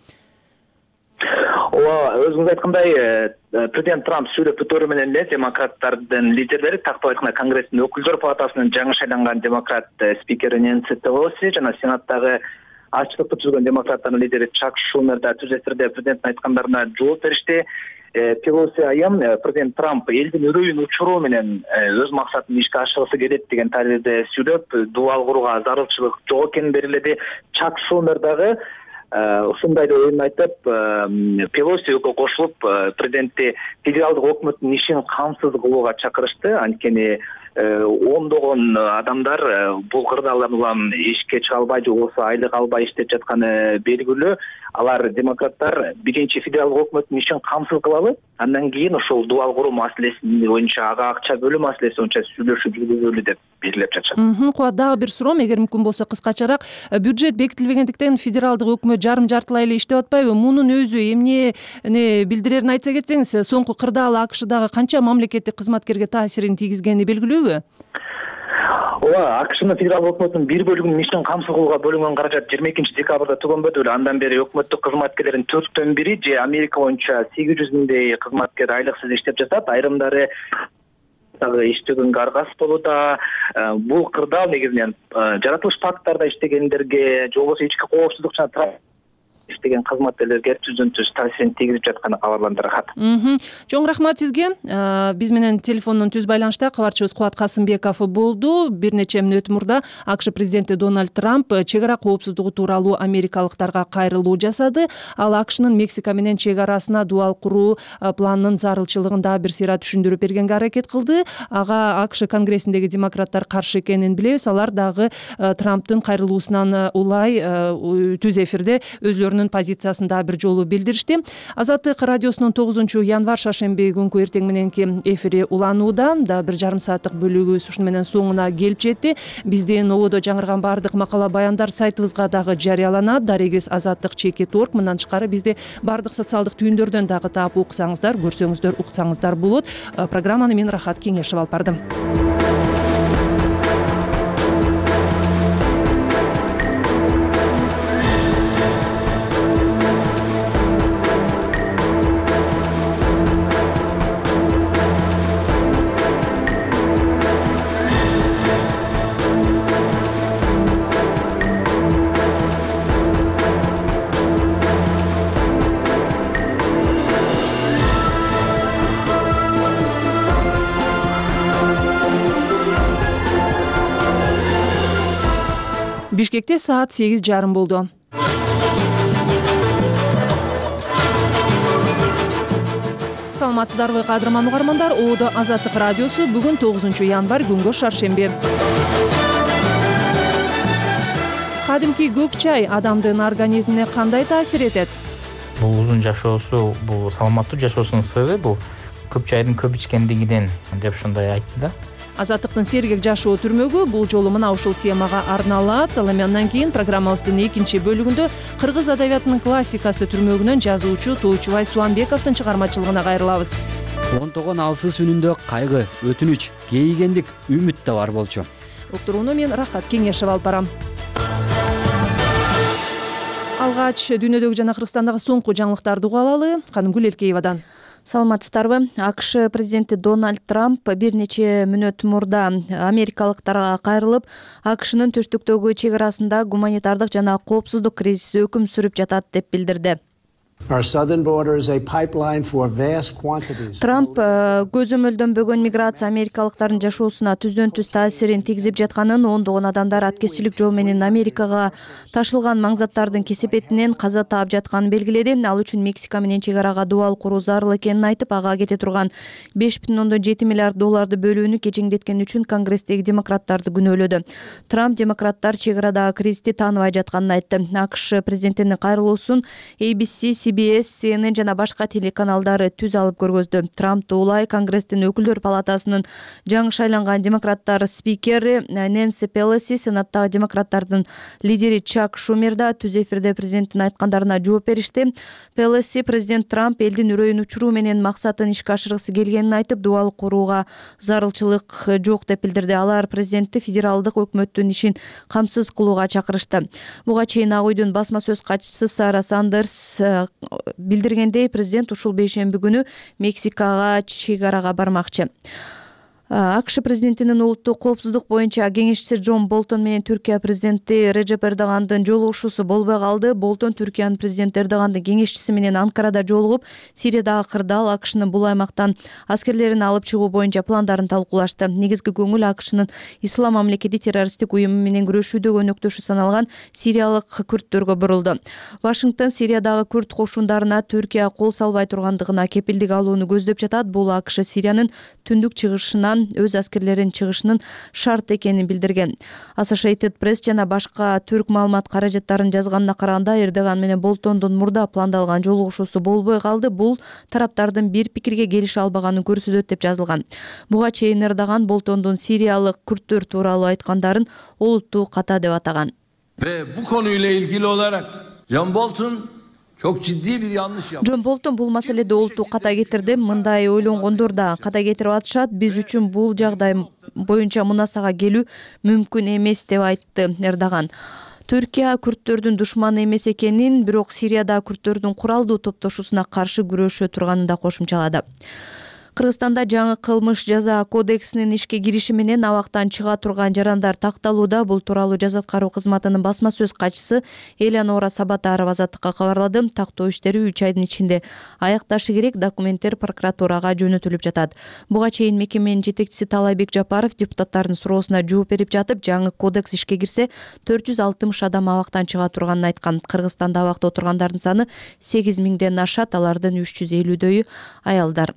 Ооба, өзүңүз айткандай, президент Трамп сүйлөп бүтөрү менен эле демократтардын лидерлери, тактап айтканда Конгресстин өкүлдөр палатасынын жаңы шайланган демократ спикери Нэнси Пелоси жана Сенаттагы аччылыкты түзгөн демократтардын лидери Чак Шумер да түз эсирде президенттин айткандарына жооп беришти. Пелоси айым президент Трамп элдин үрөйүн учуруу менен өз максатын ишке ашыргысы келет деген таризде сүйлөп, дуал курууга зарылчылык жок экенин белгиледи. Чак Шумер дагы ушундай эле ойун айтып, Пелосиге кошулуп, президентти федералдык өкмөттүн ишин камсыз кылууга чакырышты. Анткени ондогон адамдар бул кырдаалдан улам ишке чыга албай же болбосо айлык албай иштеп жатканы белгилүү. Алар демократтар биринчи федералдык өкмөттүн ишин камсыз кылалы, андан кийин ошол дуал куруу маселеси боюнча, ага акча бөлүү маселеси боюнча сүйлөшүп жүргүзөлү деп белгилеп жатышат. Кубат, дагы бир суроом, эгер мүмкүн болсо кыскачараак. Бюджет бекитилбегендиктен федералдык өкмөт жарым жартылай эле иштеп атпайбы? Мунун өзү эмнени билдирерин айтса кетсеңиз, соңку кырдаал АКШдагы канча мамлекеттик кызматкерге таасирин тийгизгени белгилүүбү? Ооба, АКШнын федералдык өкмөтүнүн бир бөлүгүнүн ишин камсыз кылууга бөлүнгөн каражат жыйырма экинчи декабрда түгөнбөдү беле. Андан бери өкмөттүк кызматкерлердин төрттөн бири же Америка боюнча сегиз жүз миңдей кызматкер айлыксыз иштеп жатат. Айрымдары дагы иштөгөнгө аргасыз болууда. Бул кырдаал негизинен жаратылыш парктарда иштегендерге же болбосо ички коопсуздук жана иштеген кызматкерлерге түздөн түз таасирин тийгизип жатканы кабарланды Рахат. Чоң рахмат сизге. Биз менен телефондон түз байланышта кабарчыбыз Кубат Касымбеков болду. Бир нече мүнөт мурда АКШ президенти Дональд Трамп чек ара коопсуздугу тууралуу америкалыктарга кайрылуу жасады. Ал АКШнын Мексика менен чек арасына дуал куруу планынын зарылчылыгын дагы бир сыйра түшүндүрүп бергенге аракет кылды. Ага АКШ конгрессиндеги демократтар каршы экенин билебиз. Алар дагы Трамптын кайрылуусунан улай түз эфирде өзлөрүнүн позициясын дагы бир жолу билдиришти. Азаттык радиосунун тогузунчу январь шаршемби күнкү эртең мененки эфири уланууда. Да бир жарым сааттык бөлүгүбүз ушуну менен соңуна келип жетти. Биздин ободо жаңырган баардык макала баяндар сайтыбызга дагы жарыяланат. Дарегиз азаттык чекит точка орг. Мындан тышкары бизди баардык социалдык түйүндөрдөн дагы таап уксаңыздар, көрсөңүздөр, уксаңыздар болот. Программаны мен Рахат Кеңешев алып бардым. Бишкекте саат сегиз жарым болду. Саламатсыздарбы кадырман угармандар? Ободо Азаттык радиосу бүгүн тогузунчу январь күнгө шаршемби. Кадимки көк чай адамдын организмине кандай таасир этет? Бул узун жашоосу, бул саламаттуу жашоосунун сыры бул көк чайдын көп ичкендигинен деп ушундай айтты да. Азаттыктын сергек жашоо түрмөгү бул жолу мына ушул темага арналат. Ал эми андан кийин программабыздын экинчи бөлүгүндө кыргыз адабиятынын классикасы түрмөгүнөн жазуучу Тоочубай Суанбековдун чыгармачылыгына кайрылабыз. Онтогон алсыз үнүндө кайгы, өтүнүч, кейигендик, үмүт да бар болчу. Уктурууну мен Рахат Кеңешев алып барам. Алгач дүйнөдөгү жана Кыргызстандагы соңку жаңылыктарды угуп алалы. Канымгүл Элкеевадан. Саламатсыздарбы? АКШ президенти Дональд Трамп бир нече мүнөт мурда америкалыктарга кайрылып, АКШнын төштүктөгү чек арасында гуманитардык жана коопсуздук кризиси өкүм сүрүп жатат деп билдирди. Трамп көзөмөлдөнбөгөн миграция америкалыктардын жашоосуна түздөн түз таасирин тийгизип жатканын, ондогон адамдар аткезчилик жол менен Америкага ташылган маңзаттардын кесепетинен каза таап жатканын белгиледи. Ал үчүн Мексика менен чек арага дуал куруу зарыл экенин айтып, ага кете турган беш бүтүн ондон жети миллиард долларды бөлүүнү кечеңдеткени үчүн Конгресстеги демократтарды күнөөлөдү. Трамп демократтар чек арадагы кризисти тааныбай жатканын айтты. АКШ президентинин кайрылуусун A B C, C B S, C N N жана башка телеканалдары түз алып көргөздү. Трампту улай Конгресстин өкүлдөр палатасынын жаңы шайланган демократтар спикери Нэнси Пелоси, сенаттагы демократтардын лидери Чак Шумер да түз эфирде президенттин айткандарына жооп беришти. Пелоси президент Трамп элдин үрөйүн учуруу менен максатын ишке ашыргысы келгенин айтып, дуал курууга зарылчылык жок деп билдирди. Алар президентти федералдык өкмөттүн ишин камсыз кылууга чакырышты. Буга чейин Ак үйдүн басма сөз катчысы Сара Сандерс билдиргендей, президент ушул бейшемби күнү Мексикага чек арага бармакчы. АКШ президентинин улуттук коопсуздук боюнча кеңешчиси Джон Болтон менен Түркия президенти Реджеп Эрдогандын жолугушуусу болбой калды. Болтон Түркиянын президенти Эрдогандын кеңешчиси менен Анкарада жолугуп, Сириядагы кырдаал АКШнын бул аймактан аскерлерин алып чыгуу боюнча пландарын талкуулашты. Негизги көңүл АКШнын Ислам мамлекети террористтик уюму менен күрөшүүдө өнөктөшү саналган сириялык күрттөргө бурулду. Вашингтон Сириядагы күрт кошундарына Түркия кол салбай тургандыгына кепилдик алууну көздөп жатат. Бул АКШ Сириянын түндүк чыгышынан өз аскерлерин чыгышынын шарт экенин билдирген. Associated Press жана башка түрк маалымат каражаттарын жазганына караганда, Эрдоган менен Болтондун мурда пландалган жолугушуусу болбой калды. Бул тараптардын бир пикирге келише албаганын көрсөтөт деп жазылган. Буга чейин Эрдоган Болтондун сириялык күрттөр тууралуу айткандарын олуттуу ката деп атаган. Ve bu konuyla ilgili olarak John Bolton çok ciddi bir yanlış yaptı. Джон Болтон бул маселеде олуттуу ката кетирди. Мындай ойлонгондор да ката кетирип атышат. Биз үчүн бул жагдай боюнча мунасага келүү мүмкүн эмес деп айтты Эрдоган. Түркия күрттөрдүн душманы эмес экенин, бирок Сирияда күрттөрдүн куралдуу топтошуусуна каршы күрөшө турганын да кошумчалады. Кыргызстанда жаңы кылмыш жаза кодексинин ишке кириши менен абактан чыга турган жарандар такталууда. Бул тууралуу жаза аткаруу кызматынын басма сөз катчысы Элеонора Сабатарова Азаттыкка кабарлады. Тактоо иштери үч айдын ичинде аякташы керек. Документтер прокуратурага жөнөтүлүп жатат. Буга чейин мекеменин жетекчиси Талайбек Жапаров депутаттардын суроосуна жооп берип жатып, жаңы кодекс ишке кирсе төрт жүз алтымыш адам абактан чыга турганын айткан. Кыргызстанда абакта отургандардын саны сегиз миңден ашат, алардын үч жүз элүүдөйү аялдар.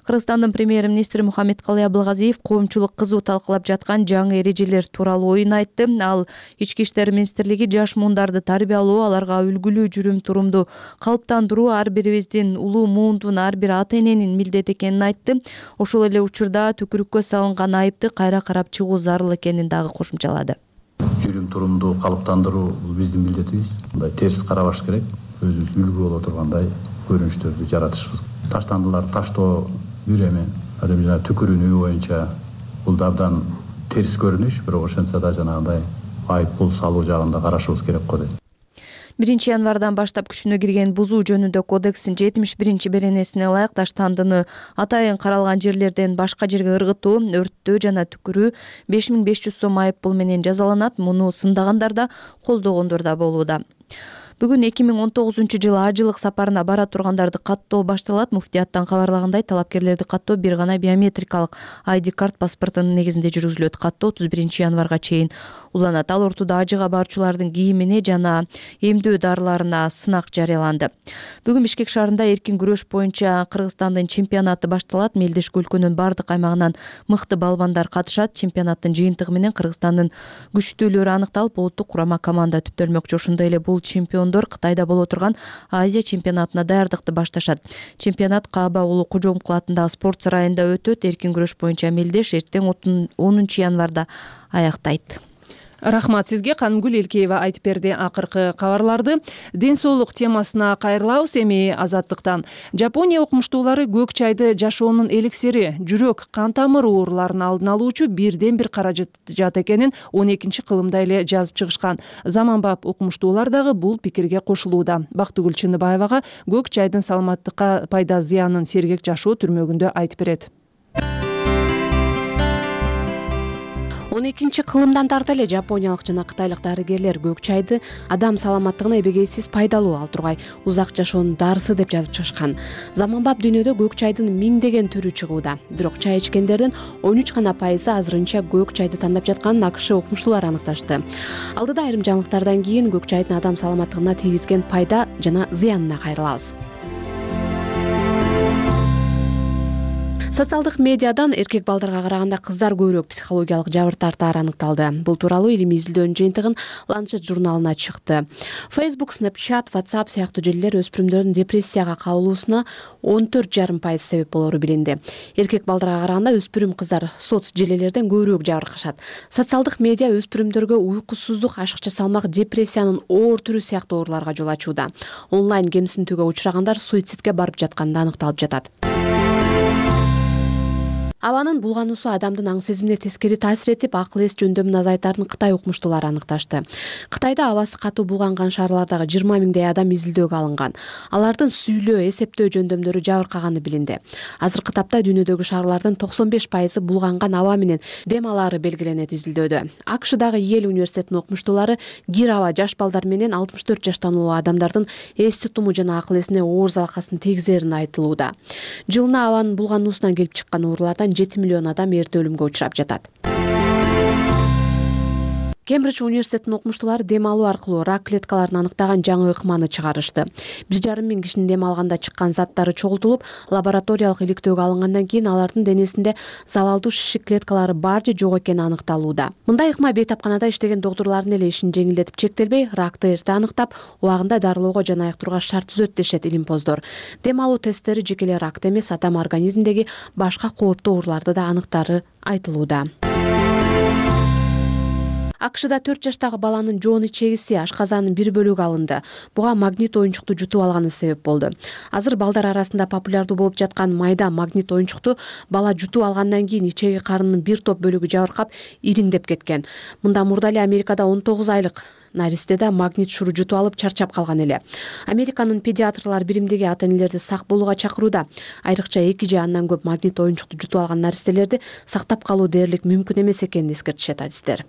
Кыргызстандын премьер-министри Мухаммедкалый Абылгазиев коомчулук кызуу талкылап жаткан жаңы эрежелер тууралуу оюн айтты. Ал Ички иштер министрлиги жаш муундарды тарбиялоо, аларга үлгүлүү жүрүм-турумду калыптандыруу ар бирибиздин, улуу муундун ар бир ата эненин милдети экенин айтты. Ошол эле учурда түкүрүккө салынган айыпты кайра карап чыгуу зарыл экенин дагы кошумчалады. Жүрүм-турумду калыптандыруу бул биздин милдетибиз. Мындай терс карабаш керек. Өзүбүз үлгү боло тургандай көрүнүштөрдү жаратышыбыз. Таштандылар таштоо бир эме, ал эми жана түкүрүүнү боюнча бул да абдан терс көрүнүш, бирок ошентсе да жанагындай айып пул салуу жагында карашыбыз керек го дейт. биринчи январдан баштап күчүнө кирген бузуу жөнүндө кодекстин жетимиш биринчи беренесине ылайык таштандыны атайын каралган жерлерден башка жерге ыргытуу, өрттөө жана түкүрүү беш миң беш жүз сом айып пул менен жазаланат. Муну сындагандар да, колдогондор да болууда. Бүгүн эки миң он тогузунчу жылы ажылык сапарына бара тургандарды каттоо башталат. Муфтияттан кабарлагандай, талапкерлерди каттоо бир гана биометрикалык ай ди карт паспортунун негизинде жүргүзүлөт. Каттоо отуз биринчи январга чейин уланат. Ал ортодо ажыга баруучулардын кийимине жана эмдөө дарыларына сынак жарыяланды. Бүгүн Бишкек шаарында эркин күрөш боюнча Кыргызстандын чемпионаты башталат. Мелдешки өлкөнүн бардык аймагынан мыкты балбандар катышат. Чемпионаттын жыйынтыгы менен Кыргызстандын күчтүүлөрү аныкталып, улуттук курама команда түптөлмөкчү. Ошондой эле бул чемпион Кытайда боло турган Азия чемпионатына даярдыкты башташат. Чемпионат Кааба улуу Кожомкул атындагы спорт сарайында өтөт. Эркин күрөш боюнча Мелдеш эртең онунчу январда аяктайт. Рахмат сизге. Канымгүл Элкеева айтып берди акыркы кабарларды. Ден соолук темасына кайрылабыз эми Азаттыктан. Жапония окумуштуулары көк чайды жашоонун эликсири, жүрөк, кан тамыр ооруларын алдын алуучу бирден бир каражат экенин он экинчи кылымда эле жазып чыгышкан. Заманбап окумуштуулар дагы бул пикирге кошулууда. Бактыгүл Чыныбаевага көк чайдын саламаттыкка пайда зыянын сергек жашоо түрмөгүндө айтып берет. он экинчи кылымдан тарта эле жапониялык жана кытайлык дарыгерлер көк чайды адам саламаттыгына эбегейсиз пайдалуу, ал тургай узак жашоонун дарысы деп жазып чыгышкан. Заманбап дүйнөдө көк чайдын миңдеген түрү чыгууда. Бирок чай ичкендердин он үч гана пайызы азырынча көк чайды тандап жатканын АКШ окумуштуулары аныкташты. Алдыда айрым жаңылыктардан кийин көк чайдын адам саламаттыгына тийгизген пайда жана зыянына кайрылабыз. Социалдык медиадан эркек балдарга караганда кыздар көбүрөөк психологиялык жабыр тартаары аныкталды. Бул тууралуу илимий изилдөөнүн жыйынтыгын Lancet журналына чыкты. Facebook, Snapchat, WhatsApp сыяктуу желилер өспүрүмдөрдүн депрессияга кабылуусуна он төрт жарым пайыз себеп болору билинди. Эркек балдарга караганда өспүрүм кыздар соц желилерден көбүрөөк жабыркашат. Социалдык медиа өспүрүмдөргө уйкусуздук, ашыкча салмак, депрессиянын оор түрү сыяктуу ооруларга жол ачууда. Онлайн кемсинтүүгө учурагандар суицидке барып жатканы аныкталып жатат. Абанын булгануусу адамдын аң сезимине тескери таасир этип, акыл эс жөндөмүн азайтарын Кытай окумуштуулары аныкташты. Кытайда абасы катуу булганган шаарлардагы жыйырма миңдей адам изилдөөгө алынган. Алардын сүйлөө, эсептөө жөндөмдөрү жабыркаганы билинди. Азыркы тапта дүйнөдөгү шаарлардын токсон беш пайызы булганган аба менен дем алаары белгиленет изилдөөдө. АКШдагы Йел университетинин окумуштуулары кир аба жаш балдар менен алтымыш төрт жаштан улуу адамдардын эс тутуму жана акыл эсине оор залалкасын тийгизерин айтылууда. Жылына абанын булгануусунан келип чыккан оорулардан жети миллион адам эрте өлүмгө учурап жатат. Кембридж университетинин окумуштуулары дем алуу аркылуу рак клеткаларын аныктаган жаңы ыкманы чыгарышты. бир жарым миң кишинин дем алганда чыккан заттары чогултулуп, лабораториялык иликтөөгө алынгандан кийин алардын денесинде залалдуу шишик клеткалары бар же жок экени аныкталууда. Мындай ыкма бейтапканада иштеген доктурлардын эле ишин жеңилдетип чектелбей, ракты эрте аныктап, убагында дарылоого жана айыктырууга шарт түзөт дешет илимпоздор. Дем алуу тесттери жеке эле ракты эмес, адам организминдеги башка кооптуу ооруларды да аныктаары айтылууда. АКШда төрт жаштагы баланын жоон ичегиси, ашказанын бир бөлүгү алынды. Буга магнит оюнчукту жутуп алганы себеп болду. Азыр балдар арасында популярдуу болуп жаткан майда магнит оюнчукту бала жутуп алгандан кийин ичеги карынынын бир топ бөлүгү жабыркап, ириңдеп кеткен. Мында мурда эле Америкада он тогуз айлык наристе да магнит шуру жутуп алып чарчап калган эле. Американын педиатрлар биримдиги ата энелерди сак болууга чакырууда. Айрыкча эки же андан көп магнит оюнчукту жутуп алган наристелерди сактап калуу дээрлик мүмкүн эмес экенин эскертишет адистер.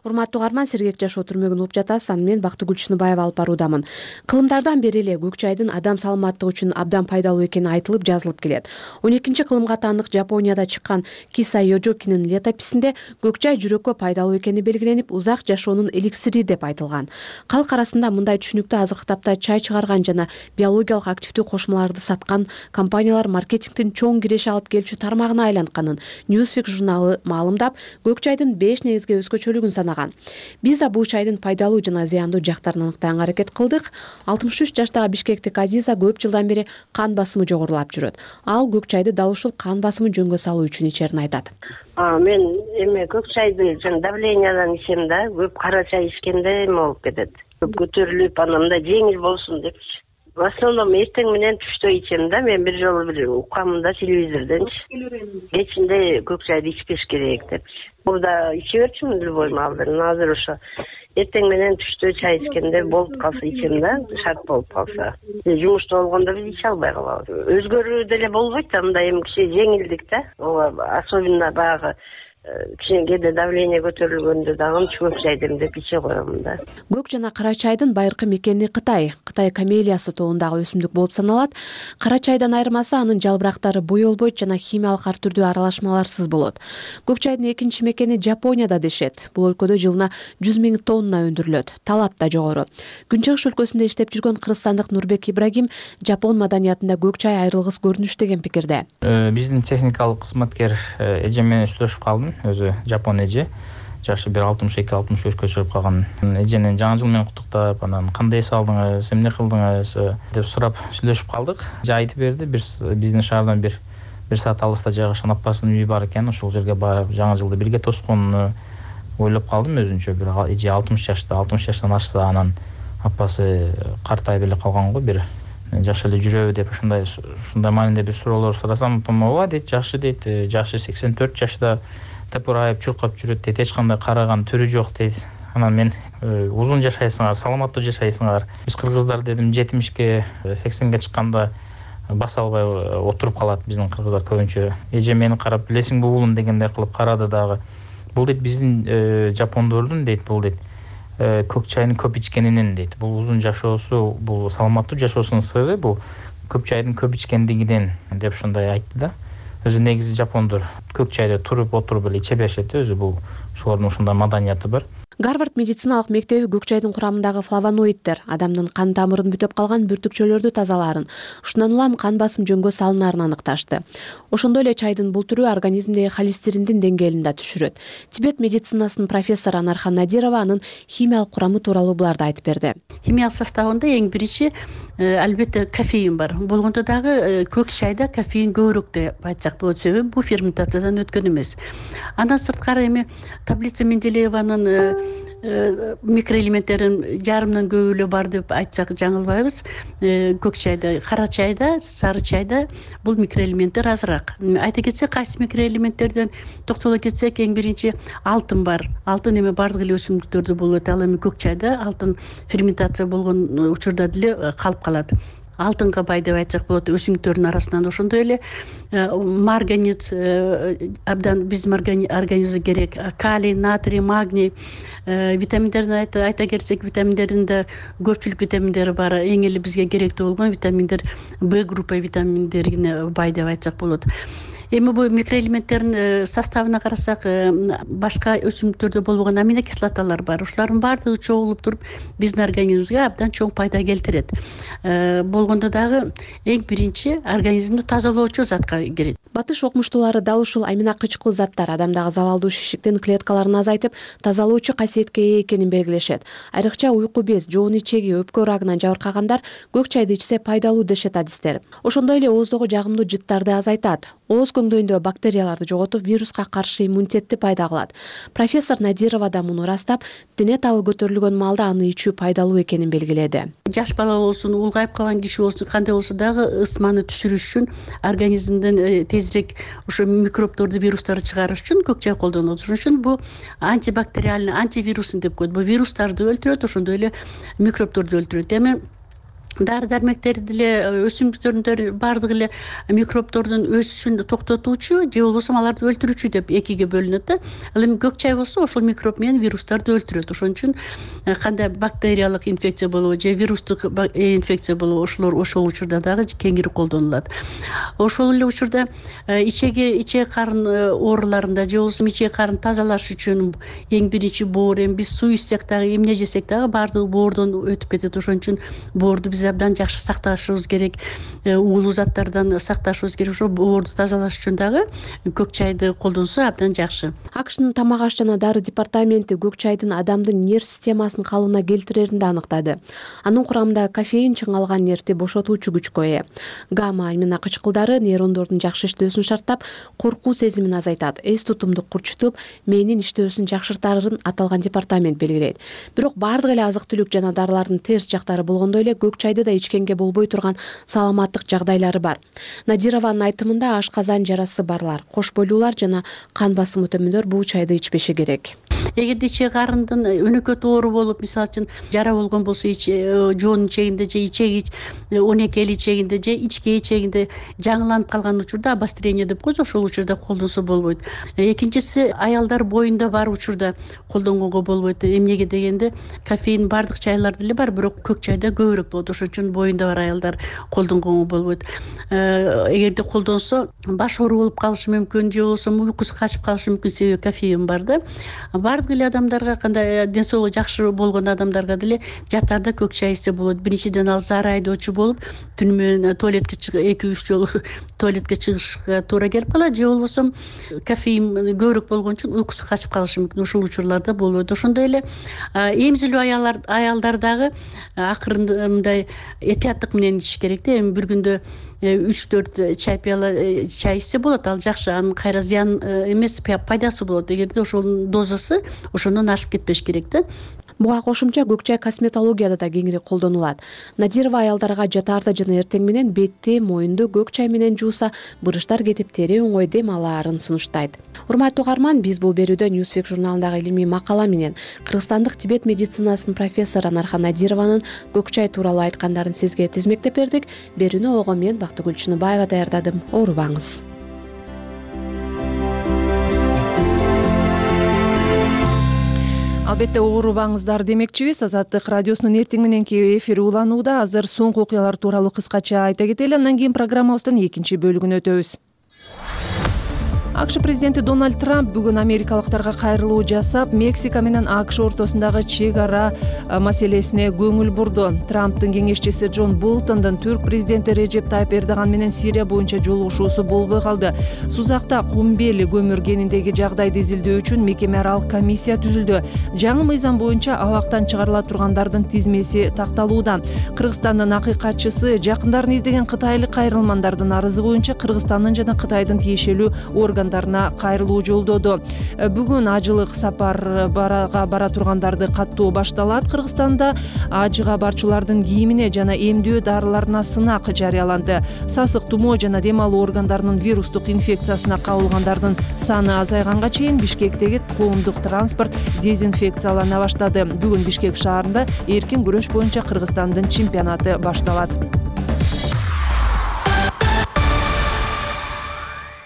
Урматтуу угарман, сергек жашоо түрмөгүн угуп жатасыз. Аны мен Бактыгүл Чыныбаева алып баруудамын. Кылымдардан бери эле көк чайдын адам саламаттыгы үчүн абдан пайдалуу экени айтылып жазылып келет. он экинчи кылымга таандык Жапонияда чыккан Киса Йожокинин летописинде көк чай жүрөккө пайдалуу экени белгиленип, узак жашоонун эликсири деп айтылган. Калк арасында мындай түшүнүктүү азыркы тапта чай чыгарган жана биологиялык активдүү кошмаларды саткан компаниялар маркетингдин чоң киреше алып келүүчү тармагына айлантканын Newsweek журналы маалымдап, көк чайдын беш негизги өзгөчөлүгүн санаган. Биз да бул чайдын пайдалуу жана зыяндуу жактарын аныктаганга аракет кылдык. алтымыш үч жаштагы бишкектик Азиза көп жылдан бери кан басымы жогорулап жүрөт. Ал көк чайды дал ушул кан басымын жөнгө салуу үчүн ичерин айтат. Мен эме көк чайды жана давлениядан ичем да, көп кара чай ичкенде эме болуп кетет. Көп көтөрүлүп, анан мындай жеңил болсун депчи. В основном эртең менен түштө ичем да. Мен бир жолу бир уккамын да телевизорденчи. Кечинде көк чайды ичпеш керек депчи. Бул да иче берчүмүн любой маалдарын. Азыр ошо эртең менен түштө чай ичкенде болуп калса ичем да, шарт болуп калса. Жумушта болгондо биз иче албай калабыз. Өзгөрүү деле болбойт да, мындай эми кичи жеңилдик да. Ооба, особенно баягы кичине кээде давление көтөрүлгөндө дагы көк чай демдеп иче коем да. Көк жана кара чайдын байыркы мекени Кытай. Кытай камелиясы тобундагы өсүмдүк болуп саналат. Кара чайдан айырмасы анын жалбырактары боелбойт жана химиялык ар түрдүү аралашмаларсыз болот. Көк чайдын экинчи мекени Жапонияда дешет. Бул өлкөдө жылына жүз миң тонна өндүрүлөт. Талап да жогору. Күнчыгыш өлкөсүндө иштеп жүргөн кыргызстандык Нурбек Ибрагим Жапон маданиятында көк чай айрылгыс көрүнүш деген пикирде. Биздин техникалык кызматкер эжем менен сүйлөшүп калдым. Өзү жапон эже, жашы бир алтымыш эки алтымыш үчкө чыгып калган. Эжени жаңы жыл менен куттуктап, анан кандай эс алдыңыз, эмне кылдыңыз деп сурап сүйлөшүп калдык. Жа айтып берди, биздин шаардан бир бир саат алыста жайгашкан апасынын үйү бар экен. Ошол жерге барып жаңы жылды бирге тосконуну ойлоп калдым өзүнчө. Бир эже алтымыш жашта, алтымыш жаштан ашса, анан апасы картайып эле калган го, бир жакшы эле жүрөбү деп ушундай ушундай маанилде бир суроолор сурасам, ооба дейт, жакшы дейт, жашы сексен төрт жашта тапырайып чуркап жүрөт дейт, эч кандай караган түрү жок дейт. Анан мен узун жашайсыңар, саламаттуу жашайсыңар. Биз кыргыздар дедим жетимишке, сексенге чыкканда баса албай отуруп калат биздин кыргыздар көбүнчө. Эже мени карап, билесиңби уулум дегендей кылып карады дагы. Бул дейт биздин жапондордун дейт, бул дейт көк чайны көп ичкенинен дейт. Бул узун жашоосу, бул саламаттуу жашоосунун сыры бул көк чайдын көп ичкендигинен деп ушундай айтты да. Өзү негизи жапондор көк чайды туруп отуруп эле иче беришет, өзү бул ошолордун ушундай маданияты бар. Гарвард медициналык мектеби көк чайдын курамындагы флавоноиддер адамдын кан тамырын бүтөп калган бүртүкчөлөрдү тазалаарын, ушундан улам кан басым жөнгө салынаарын аныкташты. Ошондой эле чайдын бул түрү организмдеги холестериндин деңгээлин да түшүрөт. Тибет медицинасынын профессору Анархан Надирова анын химиялык курамы тууралуу буларды айтып берди. Химиялык составында эң биринчи албетте кофеин бар. Болгондо дагы көк чайда кофеин көбүрөөк деп айтсак болот, себеби бул ферментациядан өткөн эмес. Андан сырткары эми таблица Менделееванын микроэлементтерин жарымдан көбү эле бар деп айтсак жаңылбайбыз. Көк чайда, кара чайда, сары чайда бул микроэлементтер азыраак. Айта кетсек, кайсы микроэлементтерден токтоло кетсек, эң биринчи алтын бар. Алтын эми бардык эле өсүмдүктөрдө болот. Ал эми көк чайда алтын ферментация болгон учурда деле калып калат. Алтынга бай деп айтсак болот, өсүмдүктөрдүн арасынан. Ошондой эле марганец абдан биздин организмге керек. Калий, натрий, магний, витаминдердин айта кетсек, витаминдердин көпчүлүк витаминдери бар. Эң эле бизге керектүү болгон витаминдер Б группа витаминдерине бай деп айтсак болот. Эми бул микроэлементтердин составына карасак, башка өсүмдүктөрдө болбогон аминокислоталар бар. Ушулардын баардыгы чогулуп туруп биздин организмибизге абдан чоң пайда келтирет. Болгондо дагы эң биринчи организмди тазалоочу затка кирет. Батыш окумуштуулары дал ушул амина кычкыл заттар адамдагы залалдуу шишиктин клеткаларын азайтып, тазалоочу касиетке ээ экенин белгилешет. Айрыкча уйку без, жоон ичеги, өпкө рагынан жабыркагандар көк чайды ичсе пайдалуу дешет адистер. Ошондой эле ооздогу жагымдуу жыттарды азайтат. ооз көңдөйүндө бактерияларды жоготуп вируска каршы иммунитетти пайда кылат. Профессор Надирова да муну ырастап, дене табы көтөрүлгөн маалда аны ичүү пайдалуу экенин белгиледи. Жаш бала болсун, улгайып калган киши болсун, кандай болсо дагы ысманы түшүрүш үчүн, организмден тезирээк ошо микробдорду, вирустарды чыгарыш үчүн көк чай колдонулат. Ошон үчүн бул антибактериальный, антивирусный деп коет. Бул вирустарды өлтүрөт, ошондой эле микробдорду өлтүрөт. Эми дары дармектерди деле, өсүмдүктөрдүн баардыгы эле микробдордун өсүшүн токтотуучу же болбосо аларды өлтүрүүчү деп экиге бөлүнөт да. Ал эми көк чай болсо ошол микроб менен вирустарды өлтүрөт. Ошон үчүн кандай бактериялык инфекция болобу же вирустук инфекция болобу, ошолор ошол учурда дагы кеңири колдонулат. Ошол эле учурда ичеги ичек карын ооруларында же болбосо ичек карын тазалаш үчүн эң биринчи боор, эми биз суу ичсек дагы, эмне жесек дагы баардыгы боордон өтүп кетет. Ошон үчүн боорду биз абдан жакшы сакташыбыз керек, уулуу заттардан сакташыбыз керек. Ошо боорду тазалаш үчүн дагы көк чайды колдонсо абдан жакшы. АКШнын тамак аш жана дары департаменти көк чайдын адамдын нерв системасын калыбына келтирерин да аныктады. Анын курамында кофеин чыңалган нервти бошотуучу күчкө ээ. Гамма амина кычкылдары нейрондордун жакшы иштөөсүн шарттап, коркуу сезимин азайтат, эс тутумду курчутуп, мээнин иштөөсүн жакшыртарын аталган департамент белгилейт. Бирок баардык эле азык-түлүк жана дарылардын терс жактары болгондой эле көк чайды да ичкенге болбой турган саламаттык жагдайлары бар. Надированын айтымында ашказан жарасы барлар, кош бойлуулар жана кан басымы төмөндөр бул чайды ичпеши керек. Эгерде ичек карындын өнөкөт оору болуп, мисалы үчүн жара болгон болсо, жоонун ичегинде же ичеги он эки эл ичегинде же ичке ичегинде жаңыланып калган учурда обострение деп коебуз, ошол учурда колдонсо болбойт. Экинчиси, аялдар боюнда бар учурда колдонгонго болбойт. Эмнеге дегенде, кофеин баардык чайларда эле бар, бирок көк чайда көбүрөөк болот. Ошон үчүн боюнда бар аялдар колдонгонго болбойт. Эгерде колдонсо баш оору болуп калышы мүмкүн, же болбосо уйкусу качып калышы мүмкүн, себеби кофеин бар да. Баардык эле адамдарга, кандай ден соолугу жакшы болгон адамдарга деле жатарда көк чай ичсе болот. Биринчиден ал зар айдоочу болуп, түнү менен туалетке эки үч жолу туалетке чыгышка туура келип калат, же болбосо кофеин көбүрөөк болгон үчүн уйкусу качып калышы мүмкүн. Ошол учурларда болбойт. Ошондой эле эмзилүү аялдар аялдар дагы акырын мындай этияттык менен ичиш керек да. Эми бир күндө үч төрт чай пияла чай ичсе болот, ал жакшы, анын кайра зыян эмес, пайдасы болот. Эгерде ошонун дозасы ошондон ашып кетпеш керек да. Буга кошумча көк чай косметологияда да кеңири колдонулат. Надирова аялдарга жатаарда жана эртең менен бетти, моюнду көк чай менен жууса, бырыштар кетип, тери оңой дем алаарын сунуштайт. Урматтуу угарман, биз бул берүүдө Newsweek журналындагы илимий макала менен кыргызстандык Тибет медицинасынын профессору Анархан Надированын көк чай тууралуу айткандарын сизге тизмектеп бердик. Берүүнү ого мен Бактыгүл Чыныбаева даярдадым. Оорубаңыз. Албетте оорубаңыздар демекчибиз. Азаттык радиосунун эртең мененки эфири уланууда. Азыр соңку окуялар тууралуу кыскача айта кетели, андан кийин программабыздын экинчи бөлүгүнө өтөбүз. АКШ президенти Дональд Трамп бүгүн америкалыктарга кайрылуу жасап, Мексика менен АКШ ортосундагы чек ара маселесине көңүл бурду. Трамптын кеңешчиси Джон Болтондун түрк президенти Режеп Тайып Эрдоган менен Сирия боюнча жолугушуусу болбой калды. Сузакта Кумбели көмүр кениндеги жагдайды изилдөө үчүн мекеме аралык комиссия түзүлдү. Жаңы мыйзам боюнча абактан чыгарыла тургандардын тизмеси такталууда. Кыргызстандын акыйкатчысы жакындарын издеген кытайлык кайрылмандардын арызы боюнча Кыргызстандын жана Кытайдын тиешелүү орган кайрылуу жолдоду. Бүгүн ажылык сапар барага бара тургандарды каттоо башталат. Кыргызстанда ажыга барчулардын кийимине жана эмдөө дарыларына сынак жарыяланды. Сасык тумоо жана дем алуу органдарынын вирустук инфекциясына кабылгандардын саны азайганга чейин Бишкектеги коомдук транспорт дезинфекциялана баштады. Бүгүн Бишкек шаарында эркин күрөш боюнча Кыргызстандын чемпионаты башталат.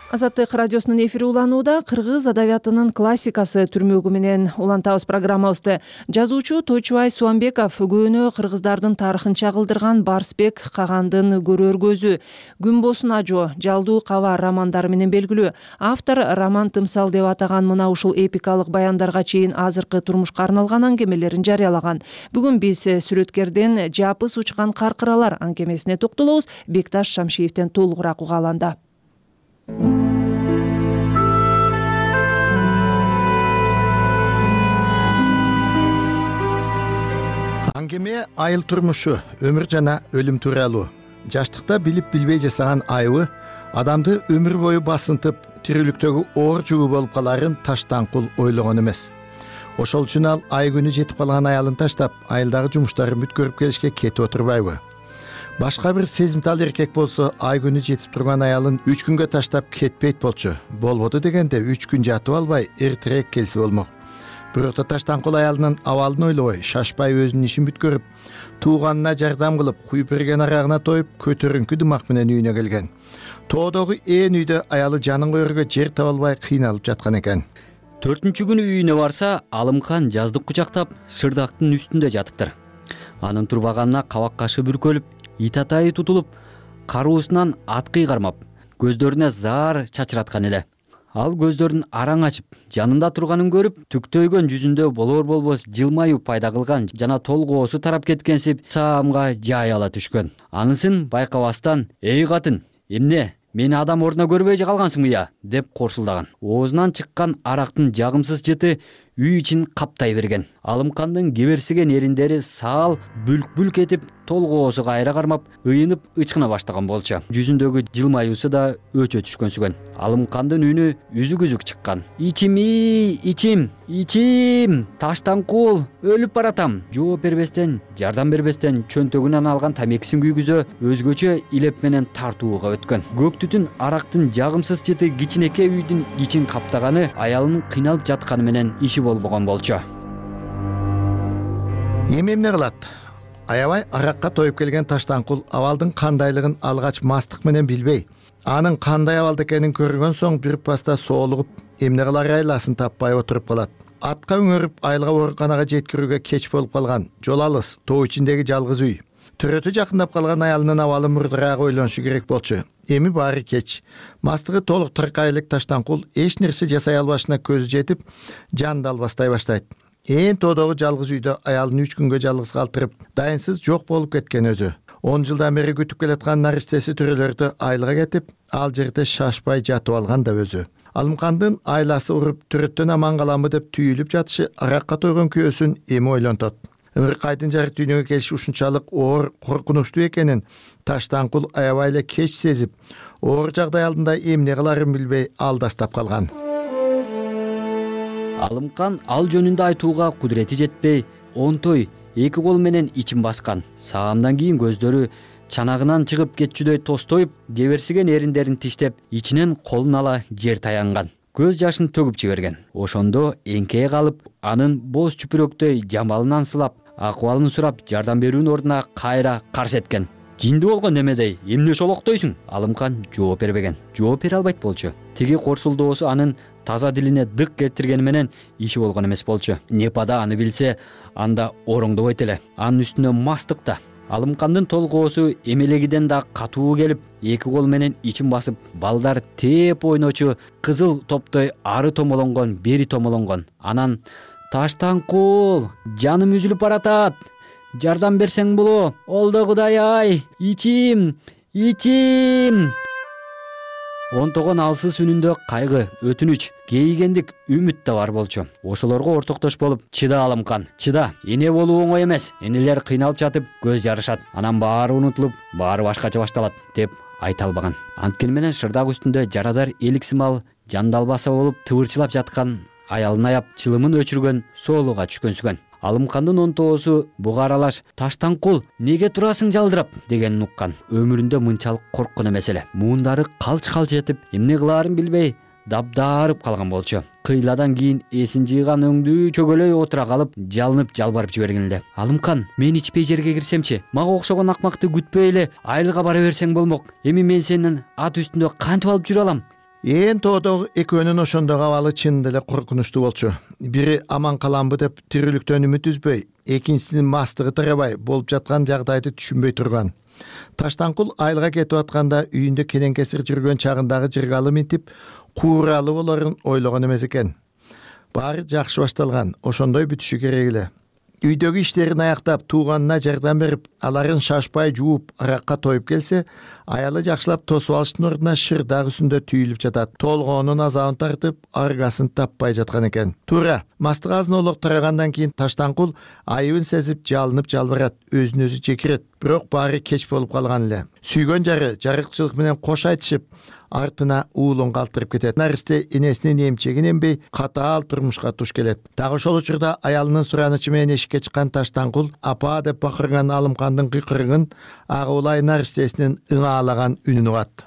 Азаттык радиосунун эфири уланууда. Кыргыз адабиятынын классикасы түрмөгү менен улантабыз программабызды. Жазуучу Тойчубай Суамбеков көөнө кыргыздардын тарыхын чагылдырган Барсбек Кагандын көрөр көзү, Күнбосун ажо, Жалдуу каба романдары менен белгилүү. Автор роман тымсал деп атаган мына ушул эпикалык баяндарга чейин азыркы турмушка арналган аңгемелерин жарыялаган. Бүгүн биз сүрөткерден Жапыс учкан каркыралар аңгемесине токтолобуз. Бекташ Шамшиевден толугураак угааланда. Аңгеме айыл турмушу, өмүр жана өлүм тууралуу. Жаштыкта билип билбей жасаган айыбы адамды өмүр бою басынтып тирүүлүктөгү оор жүгү болуп каларын Таштанкул ойлогон эмес. Ошол үчүн ал ай күнү жетип калган аялын таштап, айылдагы жумуштарын бүткөрүп келишке кетип отурбайбы? Башка бир сезимтал эркек болсо, ай күнү жетип турган аялын үч күнгө таштап кетпейт болчу. Болбоду дегенде үч күн жатып албай, эртерээк келсе болмок. Бирок Таштанкул аялынын абалын ойлобой, шашпай өзүнүн ишин бүткөрүп, тууганына жардам кылып, куюп берген арагына тоюп, көтөрүңкү дымак менен үйүнө келген. Тоодогу ээн үйдө аялы жанын коерго жер таба албай кыйналып жаткан экен. Төртүнчү күнү үйүнө барса, Алымкан жаздык кучактап, шырдактын үстүндө жатыптыр. Анын турбаганына кабак кашы бүркөлүп, ит атайы тутулуп, каруусунан аткый кармап, көздөрүнө заар чачыраткан эле. Ал көздөрүн араң ачып, жанында турганын көрүп, түктөйгөн жүзүндө болор-болбос жылмаюу пайда кылган жана толгоосу тарап кеткенсип саамга жай ала түшкөн. Анысын байкабастан: "Эй катын, эмне? Мени адам ордуна көрбөй калгансыңбы я?" деп корсулдаган. Оозунан чыккан арактын жагымсыз жыты үй ичин каптай берген. Алымкандын кеберсиген эриндери саал бүлк-бүлк этип, толгоосу кайра кармап, ыйынып ычкына баштаган болчу. Жүзүндөгү жылмаюусу да өчө түшкөнсүгөн. Алымкандын үнү үзүк-үзүк чыккан. "Ичим-и, ичим, ичим, Таштанкул, өлүп баратам." Жооп бербестен, жардам бербестен чөнтөгүнөн алган тамекисин күйгүзө, өзгөчө илеп менен тартууга өткөн. Көк түтүн арактын жагымсыз жыты кичинекей үйдүн ичин каптаганы аялынын кыйналып жатканы менен иши болбогон болчу. Эми эмне кылат? Аябай аракка тоюп келген Таштанкул абалдын кандайлыгын алгач мастык менен билбей, анын кандай абалда экенин көргөн соң бир паста соолугуп, эмне кылар айласын таппай отуруп калат. Атка өңөрүп, айылга ооруканага жеткирүүгө кеч болуп калган. Жол алыс, тоо ичиндеги жалгыз үй. Төрөтү жакындап калган аялынын абалы мурдураак ойлонушу керек болчу. Эми баары кеч. Мастыгы толук тыркайлык Таштанкул эч нерсе жасай албашына көзү жетип, жанды албастай баштайт. Ээн тоодогу жалгыз үйдө аялын үч күнгө жалгыз калтырып, дайынсыз жок болуп кеткен өзү. он жылдан бери күтүп келаткан наристеси төрөлөрдү айылга кетип, ал жерде шашпай жатып алган да өзү. Алымкандын айласы уруп, төрөттөн аман каламбы деп түйүлүп жатышы аракка тойгон күйөөсүн эми ойлонтот. Ымыркайдын жары дүйнөгө келиши ушунчалык оор, коркунучтуу экенин Таштанкул аябай эле кеч сезип, оор жагдай алдында эмне кыларын билбей алдастап калган. Алымкан ал жөнүндө айтууга кудурети жетпей, онтой эки кол менен ичин баскан. Саамдан кийин көздөрү чанагынан чыгып кетчүдөй тостоюп, кеберсиген эриндерин тиштеп, ичинен колун ала жер таянган. Көз жашын төгүп жиберген. Ошондо эңкее калып, анын боз чүпүрөктөй жамалынан сылап, акыбалын сурап, жардам берүүнүн ордуна кайра карш эткен. "Жинди болгон немедей, эмне шолоктойсуң?" Алымкан жооп бербеген. Жооп бере албайт болчу. Тиги корсулдоосу анын таза дилине дык келтиргени менен иши болгон эмес болчу. Непада аны билсе, анда ороңдобойт эле. Анын үстүнө мастык да. Алымкандын толгоосу эмелегиден да катуу келип, эки кол менен ичин басып, балдар тээп ойночу кызыл топтой ары томолонгон, бери томолонгон. Анан: "Таштанкул, жаным үзүлүп баратат. Жардам берсең боло. Олдо Кудай-ай, ичим, ичим." Онтогон алсыз үнүндө кайгы, өтүнүч, кейигендик, үмүт да бар болчу. Ошолорго ортоктош болуп: "Чыда Алымкан, чыда. Эне болуу оңой эмес. Энелер кыйналып жатып көз жарышат. Анан баары унутулуп, баары башкача башталат" деп айта албаган. Анткени менен шырдак үстүндө жарадар эликсимал, жандалбаса болуп тыбырчылап жаткан аялын аяп, чылымын өчүргөн, соолууга түшкөнсүгөн. Алымкандын онтоосу буга аралаш: "Таштанкул, неге турасың жалдырап?" дегенин уккан. Өмүрүндө мынчалык корккон эмес эле. Муундары калч-калч этип, эмне кылаарын билбей дабдарып калган болчу. Кыйладан кийин эсин жыйган өңдүү чөгөлөй отура калып, жалынып жалбарып жиберген эле. "Алымкан, мен ичпей жерге кирсемчи? Мага окшогон акмакты күтпөй эле айылга бара берсең болмок. Эми мен сенин ат үстүндө кантип алып жүрө алам?" Ээн тоодогу экөөнүн ошондогу абалы чынында эле коркунучтуу болчу. Бири аман каламбы деп тирүүлүктөн үмүт үзбөй, экинчисинин мастыгы тарабай, болуп жаткан жагдайды түшүнбөй турган. Таштанкул айылга кетип атканда үйүндө кенен-кесир жүргөн чагындагы жыргалы минтип, кууралы болорун ойлогон эмес экен. Баары жакшы башталган, ошондой бүтүшү керек эле. Үйдөгү иштерин аяктап, тууганына жардам берип, аларын шашпай жууп, аракка тоюп келсе, аялы жакшылап тосуп алыштын ордуна шырдак үстүндө түйүлүп жатат. Толгоонун азабын тартып, аргасын таппай жаткан экен. Туура, мастык азын олок тарагандан кийин Таштанкул айыбын сезип, жалынып жалбырат, өзүн өзү жекирет. Бирок баары кеч болуп калган эле. Сүйгөн жары жарыкчылык менен кош айтышып, артына уулун калтырып кетет. Наристе энесинин эмчегин эмбей катаал турмушка туш келет. Дагы ошол учурда аялынын суранычы менен эшикке чыккан Таштанкул апа деп бакырган Алымкандын кыйкырыгын ага улай наристесинин ыңаалаган үнүн угат.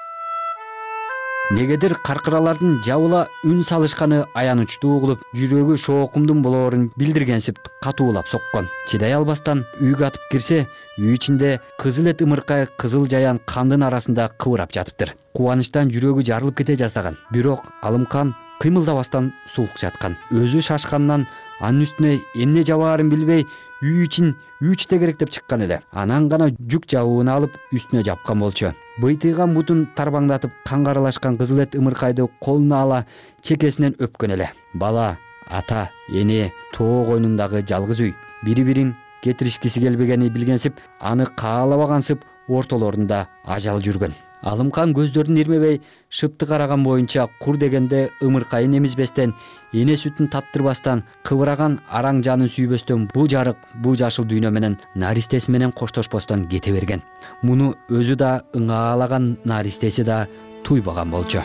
Негедир каркыралардын жабыла үн салышканы аянычтуу угулуп, жүрөгү шоокумдун болоорун билдиргенсип катуулап соккон. Чыдай албастан үйгө атып кирсе, үй ичинде кызыл эт ымыркай кызыл жаян кандын арасында кыбырап жатыптыр. Кубанычтан жүрөгү жарылып кете жаздаган. Бирок Алымкан кыймылдабастан сулук жаткан. Өзү шашкандан анын үстүнө эмне жабаарын билбей, үй ичин үч тегерек деп чыккан эле. Анан гана жүк жабуун алып үстүнө жапкан болчу. Быйтыйган бутун тарбаңдатып канга аралашкан кызыл эт ымыркайды колуна ала чекесинен өпкөн эле. Бала, ата, эне, тоо койнундагы жалгыз үй. Бири-бирин кетиришкиси келбегени билгенсип, аны каалабагансып ортолорунда ажал жүргөн. Алымкан көздөрүн ирмебей, шыпты караган боюнча кур дегенде ымыркайын эмизбестен, эне сүтүн таттырбастан, кыбыраган араң жанын сүйбөстөн бул жарык, бул жашыл дүйнө менен наристеси менен коштошпостон кете берген. Муну өзү да ыңаалаган, наристеси да туйбаган болчу.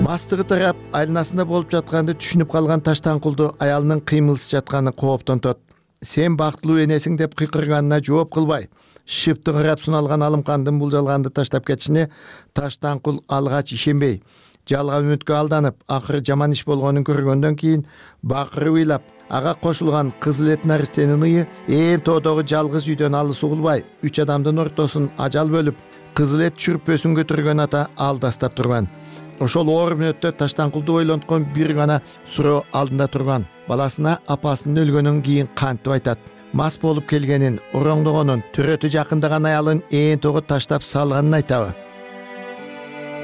Мастыгы тарап, айланасында болуп жатканды түшүнүп калган Таштанкулду аялынын кыймылсыз жатканы кооптонтот. Сен бактылуу энесиң деп кыйкырганына жооп кылбай, шыпты карап суналган Алымкандын бул жалганды таштап кетишине Таштанкул алгач ишенбей, жалган үмүткө алданып, акыры жаман иш болгонун көргөндөн кийин бакырып ыйлап, ага кошулган кызыл эт наристенин ые ээн тоодогу жалгыз үйдөн алыс угулбай, үч адамдын ортосун ажал бөлүп, кызыл эт чүрпөсүн көтөргөн ата алдастап турган. Ошол оор мүнөттө Таштанкулду ойлонткон бир гана суроо алдында турган. Баласына апасынын өлгөнүн кийин кантип айтат? Мас болуп келгенин, ороңдогонун, төрөтү жакындаган аялын ээн тоого таштап салганын айтабы?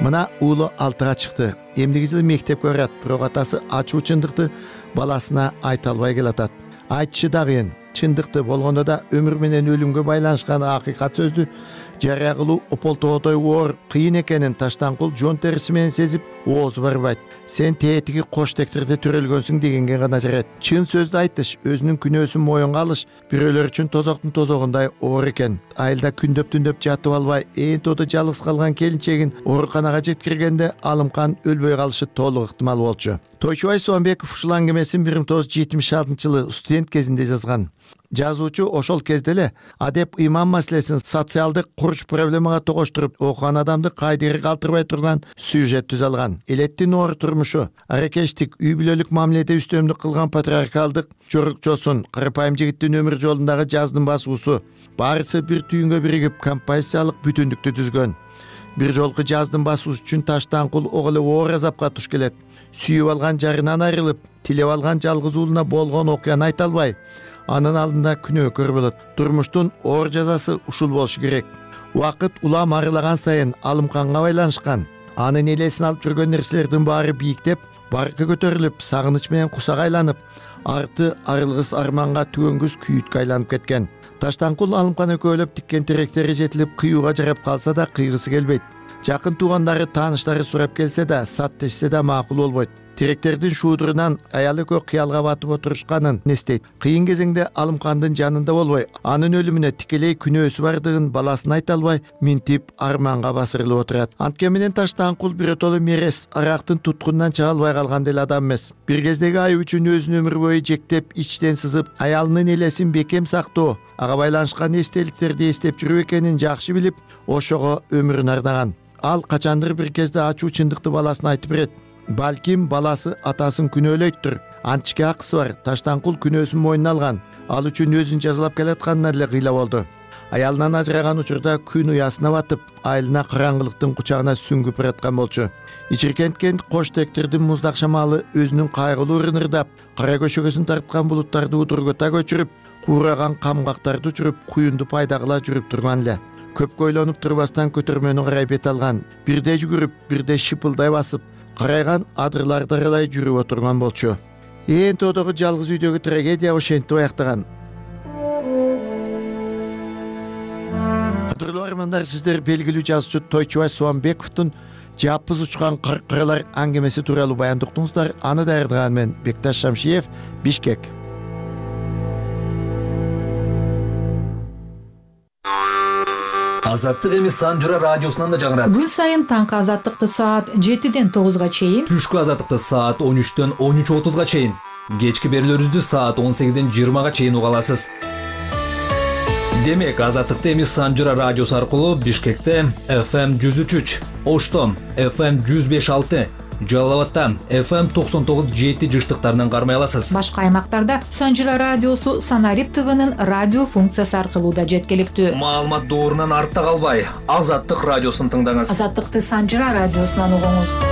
Мына уулу алтыга чыкты. Эмдиги жылы мектепке барат, бирок атасы ачуу чындыкты баласына айта албай келатат. Айтышы да кыйын. Чындыкты болгондо да өмүр менен өлүмгө байланышкан акыйкат сөздү жарыя кылуу ополтоодой оор кыйын экенин Таштанкул жон териси менен сезип, оозу барбайт. Сен тетиги кош тектерде төрөлгөнсүң дегенге гана жарайт. Чын сөздү айтыш, өзүнүн күнөөсүн моюнга алыш бирөөлөр үчүн тозоктун тозогундай оор экен. Айылда күндөп-түндөп жатып албай, ээн тоодо жалгыз калган келинчегин ооруканага жеткиргенде Алымкан өлбөй калышы толук ыктымал болчу. Тойчубай Соомбеков ушул аңгемесин бир миң тогуз жүз жетимиш алтынчы жылы студент кезинде жазган. Жазуучу ошол кезде эле адеп ыйман маселесин социалдык курч проблемага тогоштуруп, окуган адамды кайдыгер калтырбай турган сюжет түзө алган. Элеттин оор турмушу, аракештик, үй бүлөлүк мамиледе үстөмдүк кылган патриархалдык жорукчосун, карапайым жигиттин өмүр жолундагы жаздын басуусу, баарысы бир түйүнгө биригип композициялык бүтүндүктү түзгөн. Бир жолку жаздын басуусу үчүн Таштанкул ого эле оор азапка туш келет. Сүйүп алган жарынан айрылып, тилеп алган жалгыз уулуна болгон окуяны айта албай, анын алдында күнөөкөр болот. Турмуштун оор жазасы ушул болушу керек. Убакыт улам арылаган сайын Алымканга байланышкан. Анын элесин алып жүргөн нерселердин баары бийиктеп, баркы көтөрүлүп, сагыныч менен кусак айланып, арты арылгыс арманга түгөнгүс күйүткө айланып кеткен. Таштанкул Алымкан экөөлөп тиккен теректери жетилип, кыюуга жарап калса да кыйгысы келбейт. Жакын туугандары, тааныштары сурап келсе да, саттешсе да макул болбойт. Теректердин шуудурунан аял экөө кыялга батып отурушканын эстейт. Кыйын кезеңде Алымкандын жанында болбой, анын өлүмүнө тикелей күнөөсү бардыгын баласына айта албай, минтип арманга басырылып отурат. Анткени менен Таштанкул биротоло мерес, арактын туткунунан чыга албай калган деле адам эмес. Бир кездеги ай үчүн өзүн өмүр бою жектеп, ичтен сызып, аялынын элесин бекем сактоо, ага байланышкан эстеликтерди эстеп жүрүү экенин жакшы билип, ошого өмүрүн ардаган. Ал качандыр бир кезде ачуу чындыкты баласына айтып берет. Балким баласы атасын күнөөлөйттүр. Античке акысы бар. Таштанкул күнөөсүн мойнуна алган. Ал үчүн өзүн жазалап келатканына эле кыйла болду. Аялынан ажыраган учурда күн уясына батып, айылына караңгылыктын кучагына сүңгүп бараткан болчу. Ичиркенткен кош тектердин муздак шамалы өзүнүн кайгылуу ырынырдап, кара көшөгөсүн тарткан булуттарды удургута көчүрүп, куураган камгактарды учуруп, куюнду пайда кыла жүрүп турган эле. Көпкө ойлонуп турбастан көтөрмөнү карай бет алган. Бирде жүгүрүп, бирде шыпылдай басып, карайган адырларды аралай жүрүп отурган болчу. Ээн тоодогу жалгыз үйдөгү трагедия ошентип аяктаган. Кадырлуу армандар, сиздер белгилүү жазуучу Тойчубай Соомбековдун Жапыз учкан каркыралар аңгемеси тууралуу баян уктуңуздар. Аны даярдаган мен Бекташ Шамшиев, Бишкек. Азаттык эми Санжыра радиосунан да жаңырат. Күн сайын таңкы азаттыкты саат жетиден тогузга чейин, түшкү азаттыкты саат он үчтөн он үч отузга чейин, кечки берүүлөрүбүздү саат он сегизден жыйырмага чейин уга аласыз. Демек, азаттыкты эми Санжыра радиосу аркылуу Бишкекте эф эм жүз үч үч, Ошто эф эм жүз беш алты, Жалал абадта эф эм токсон тогуз жети жыштыктарынан кармай аласыз. Башка аймактарда Санжыра радиосу Санарип ТВнын радио функциясы аркылуу да жеткиликтүү. Маалымат доорунан артта калбай, Азаттык радиосун тыңдаңыз. Азаттыкты Санжыра радиосунан угуңуз.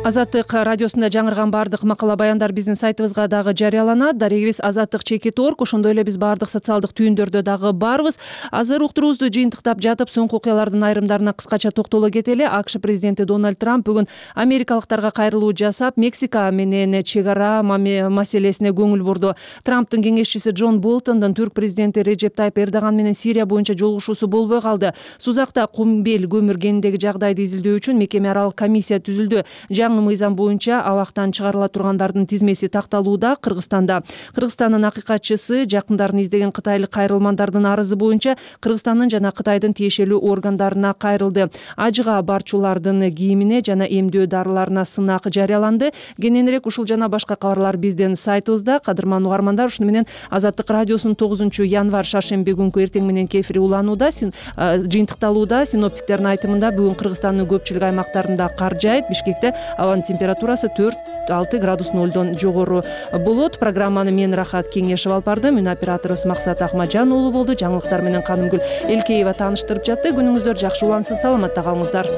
Азаттык радиосунда жаңырган баардык макала баяндар биздин сайтыбызга дагы жарыяланат. Дарегибиз Азаттык чекит орг. Ошондой эле биз баардык социалдык түйүндөрдө дагы барбыз. Азыр уктуруубузду жыйынтыктап жатып, соңку окуялардын айрымдарына кыскача токтоло кетели. АКШ президенти Дональд Трамп бүгүн америкалыктарга кайрылуу жасап, Мексика менен чек ара маселесине көңүл бурду. Трамптын кеңешчиси Джон Болтондун түрк президенти Режеп Тайып Эрдоган менен Сирия боюнча жолугушуусу болбой калды. Сузакта кумбел көмүр кенидеги жагдайды изилдөө үчүн мекеме аралык комиссия түзүлдү. Жаңы мыйзам боюнча абактан чыгарыла тургандардын тизмеси такталууда. Кыргызстанда Кыргызстандын акыйкатчысы жакындарын издеген кытайлык кайрылмандардын арызы боюнча Кыргызстандын жана Кытайдын тиешелүү органдарына кайрылды. Ажыга барчулардын кийимине жана эмдөө дарыларына сынак жарыяланды. Кененирээк ушул жана башка кабарлар биздин сайтыбызда. Кадырман угармандар, ушуну менен Азаттык радиосунун тогузунчу январь шаршемби күнкү эртең мененки эфири уланууда, жыйынтыкталууда. Синоптиктердин айтымында бүгүн Кыргызстандын көпчүлүк аймактарында кар жаайт. Бишкекте абанын температурасы төрт алты градус нолдон жогору болот. Программаны мен Рахат Кеңешев алып бардым. Үн операторубуз Максат Ахмаджан уулу болду. Жаңылыктар менен Канымгүл Элкеева тааныштырып жатты. Күнүңүздөр жакшы улансын, саламатта калыңыздар.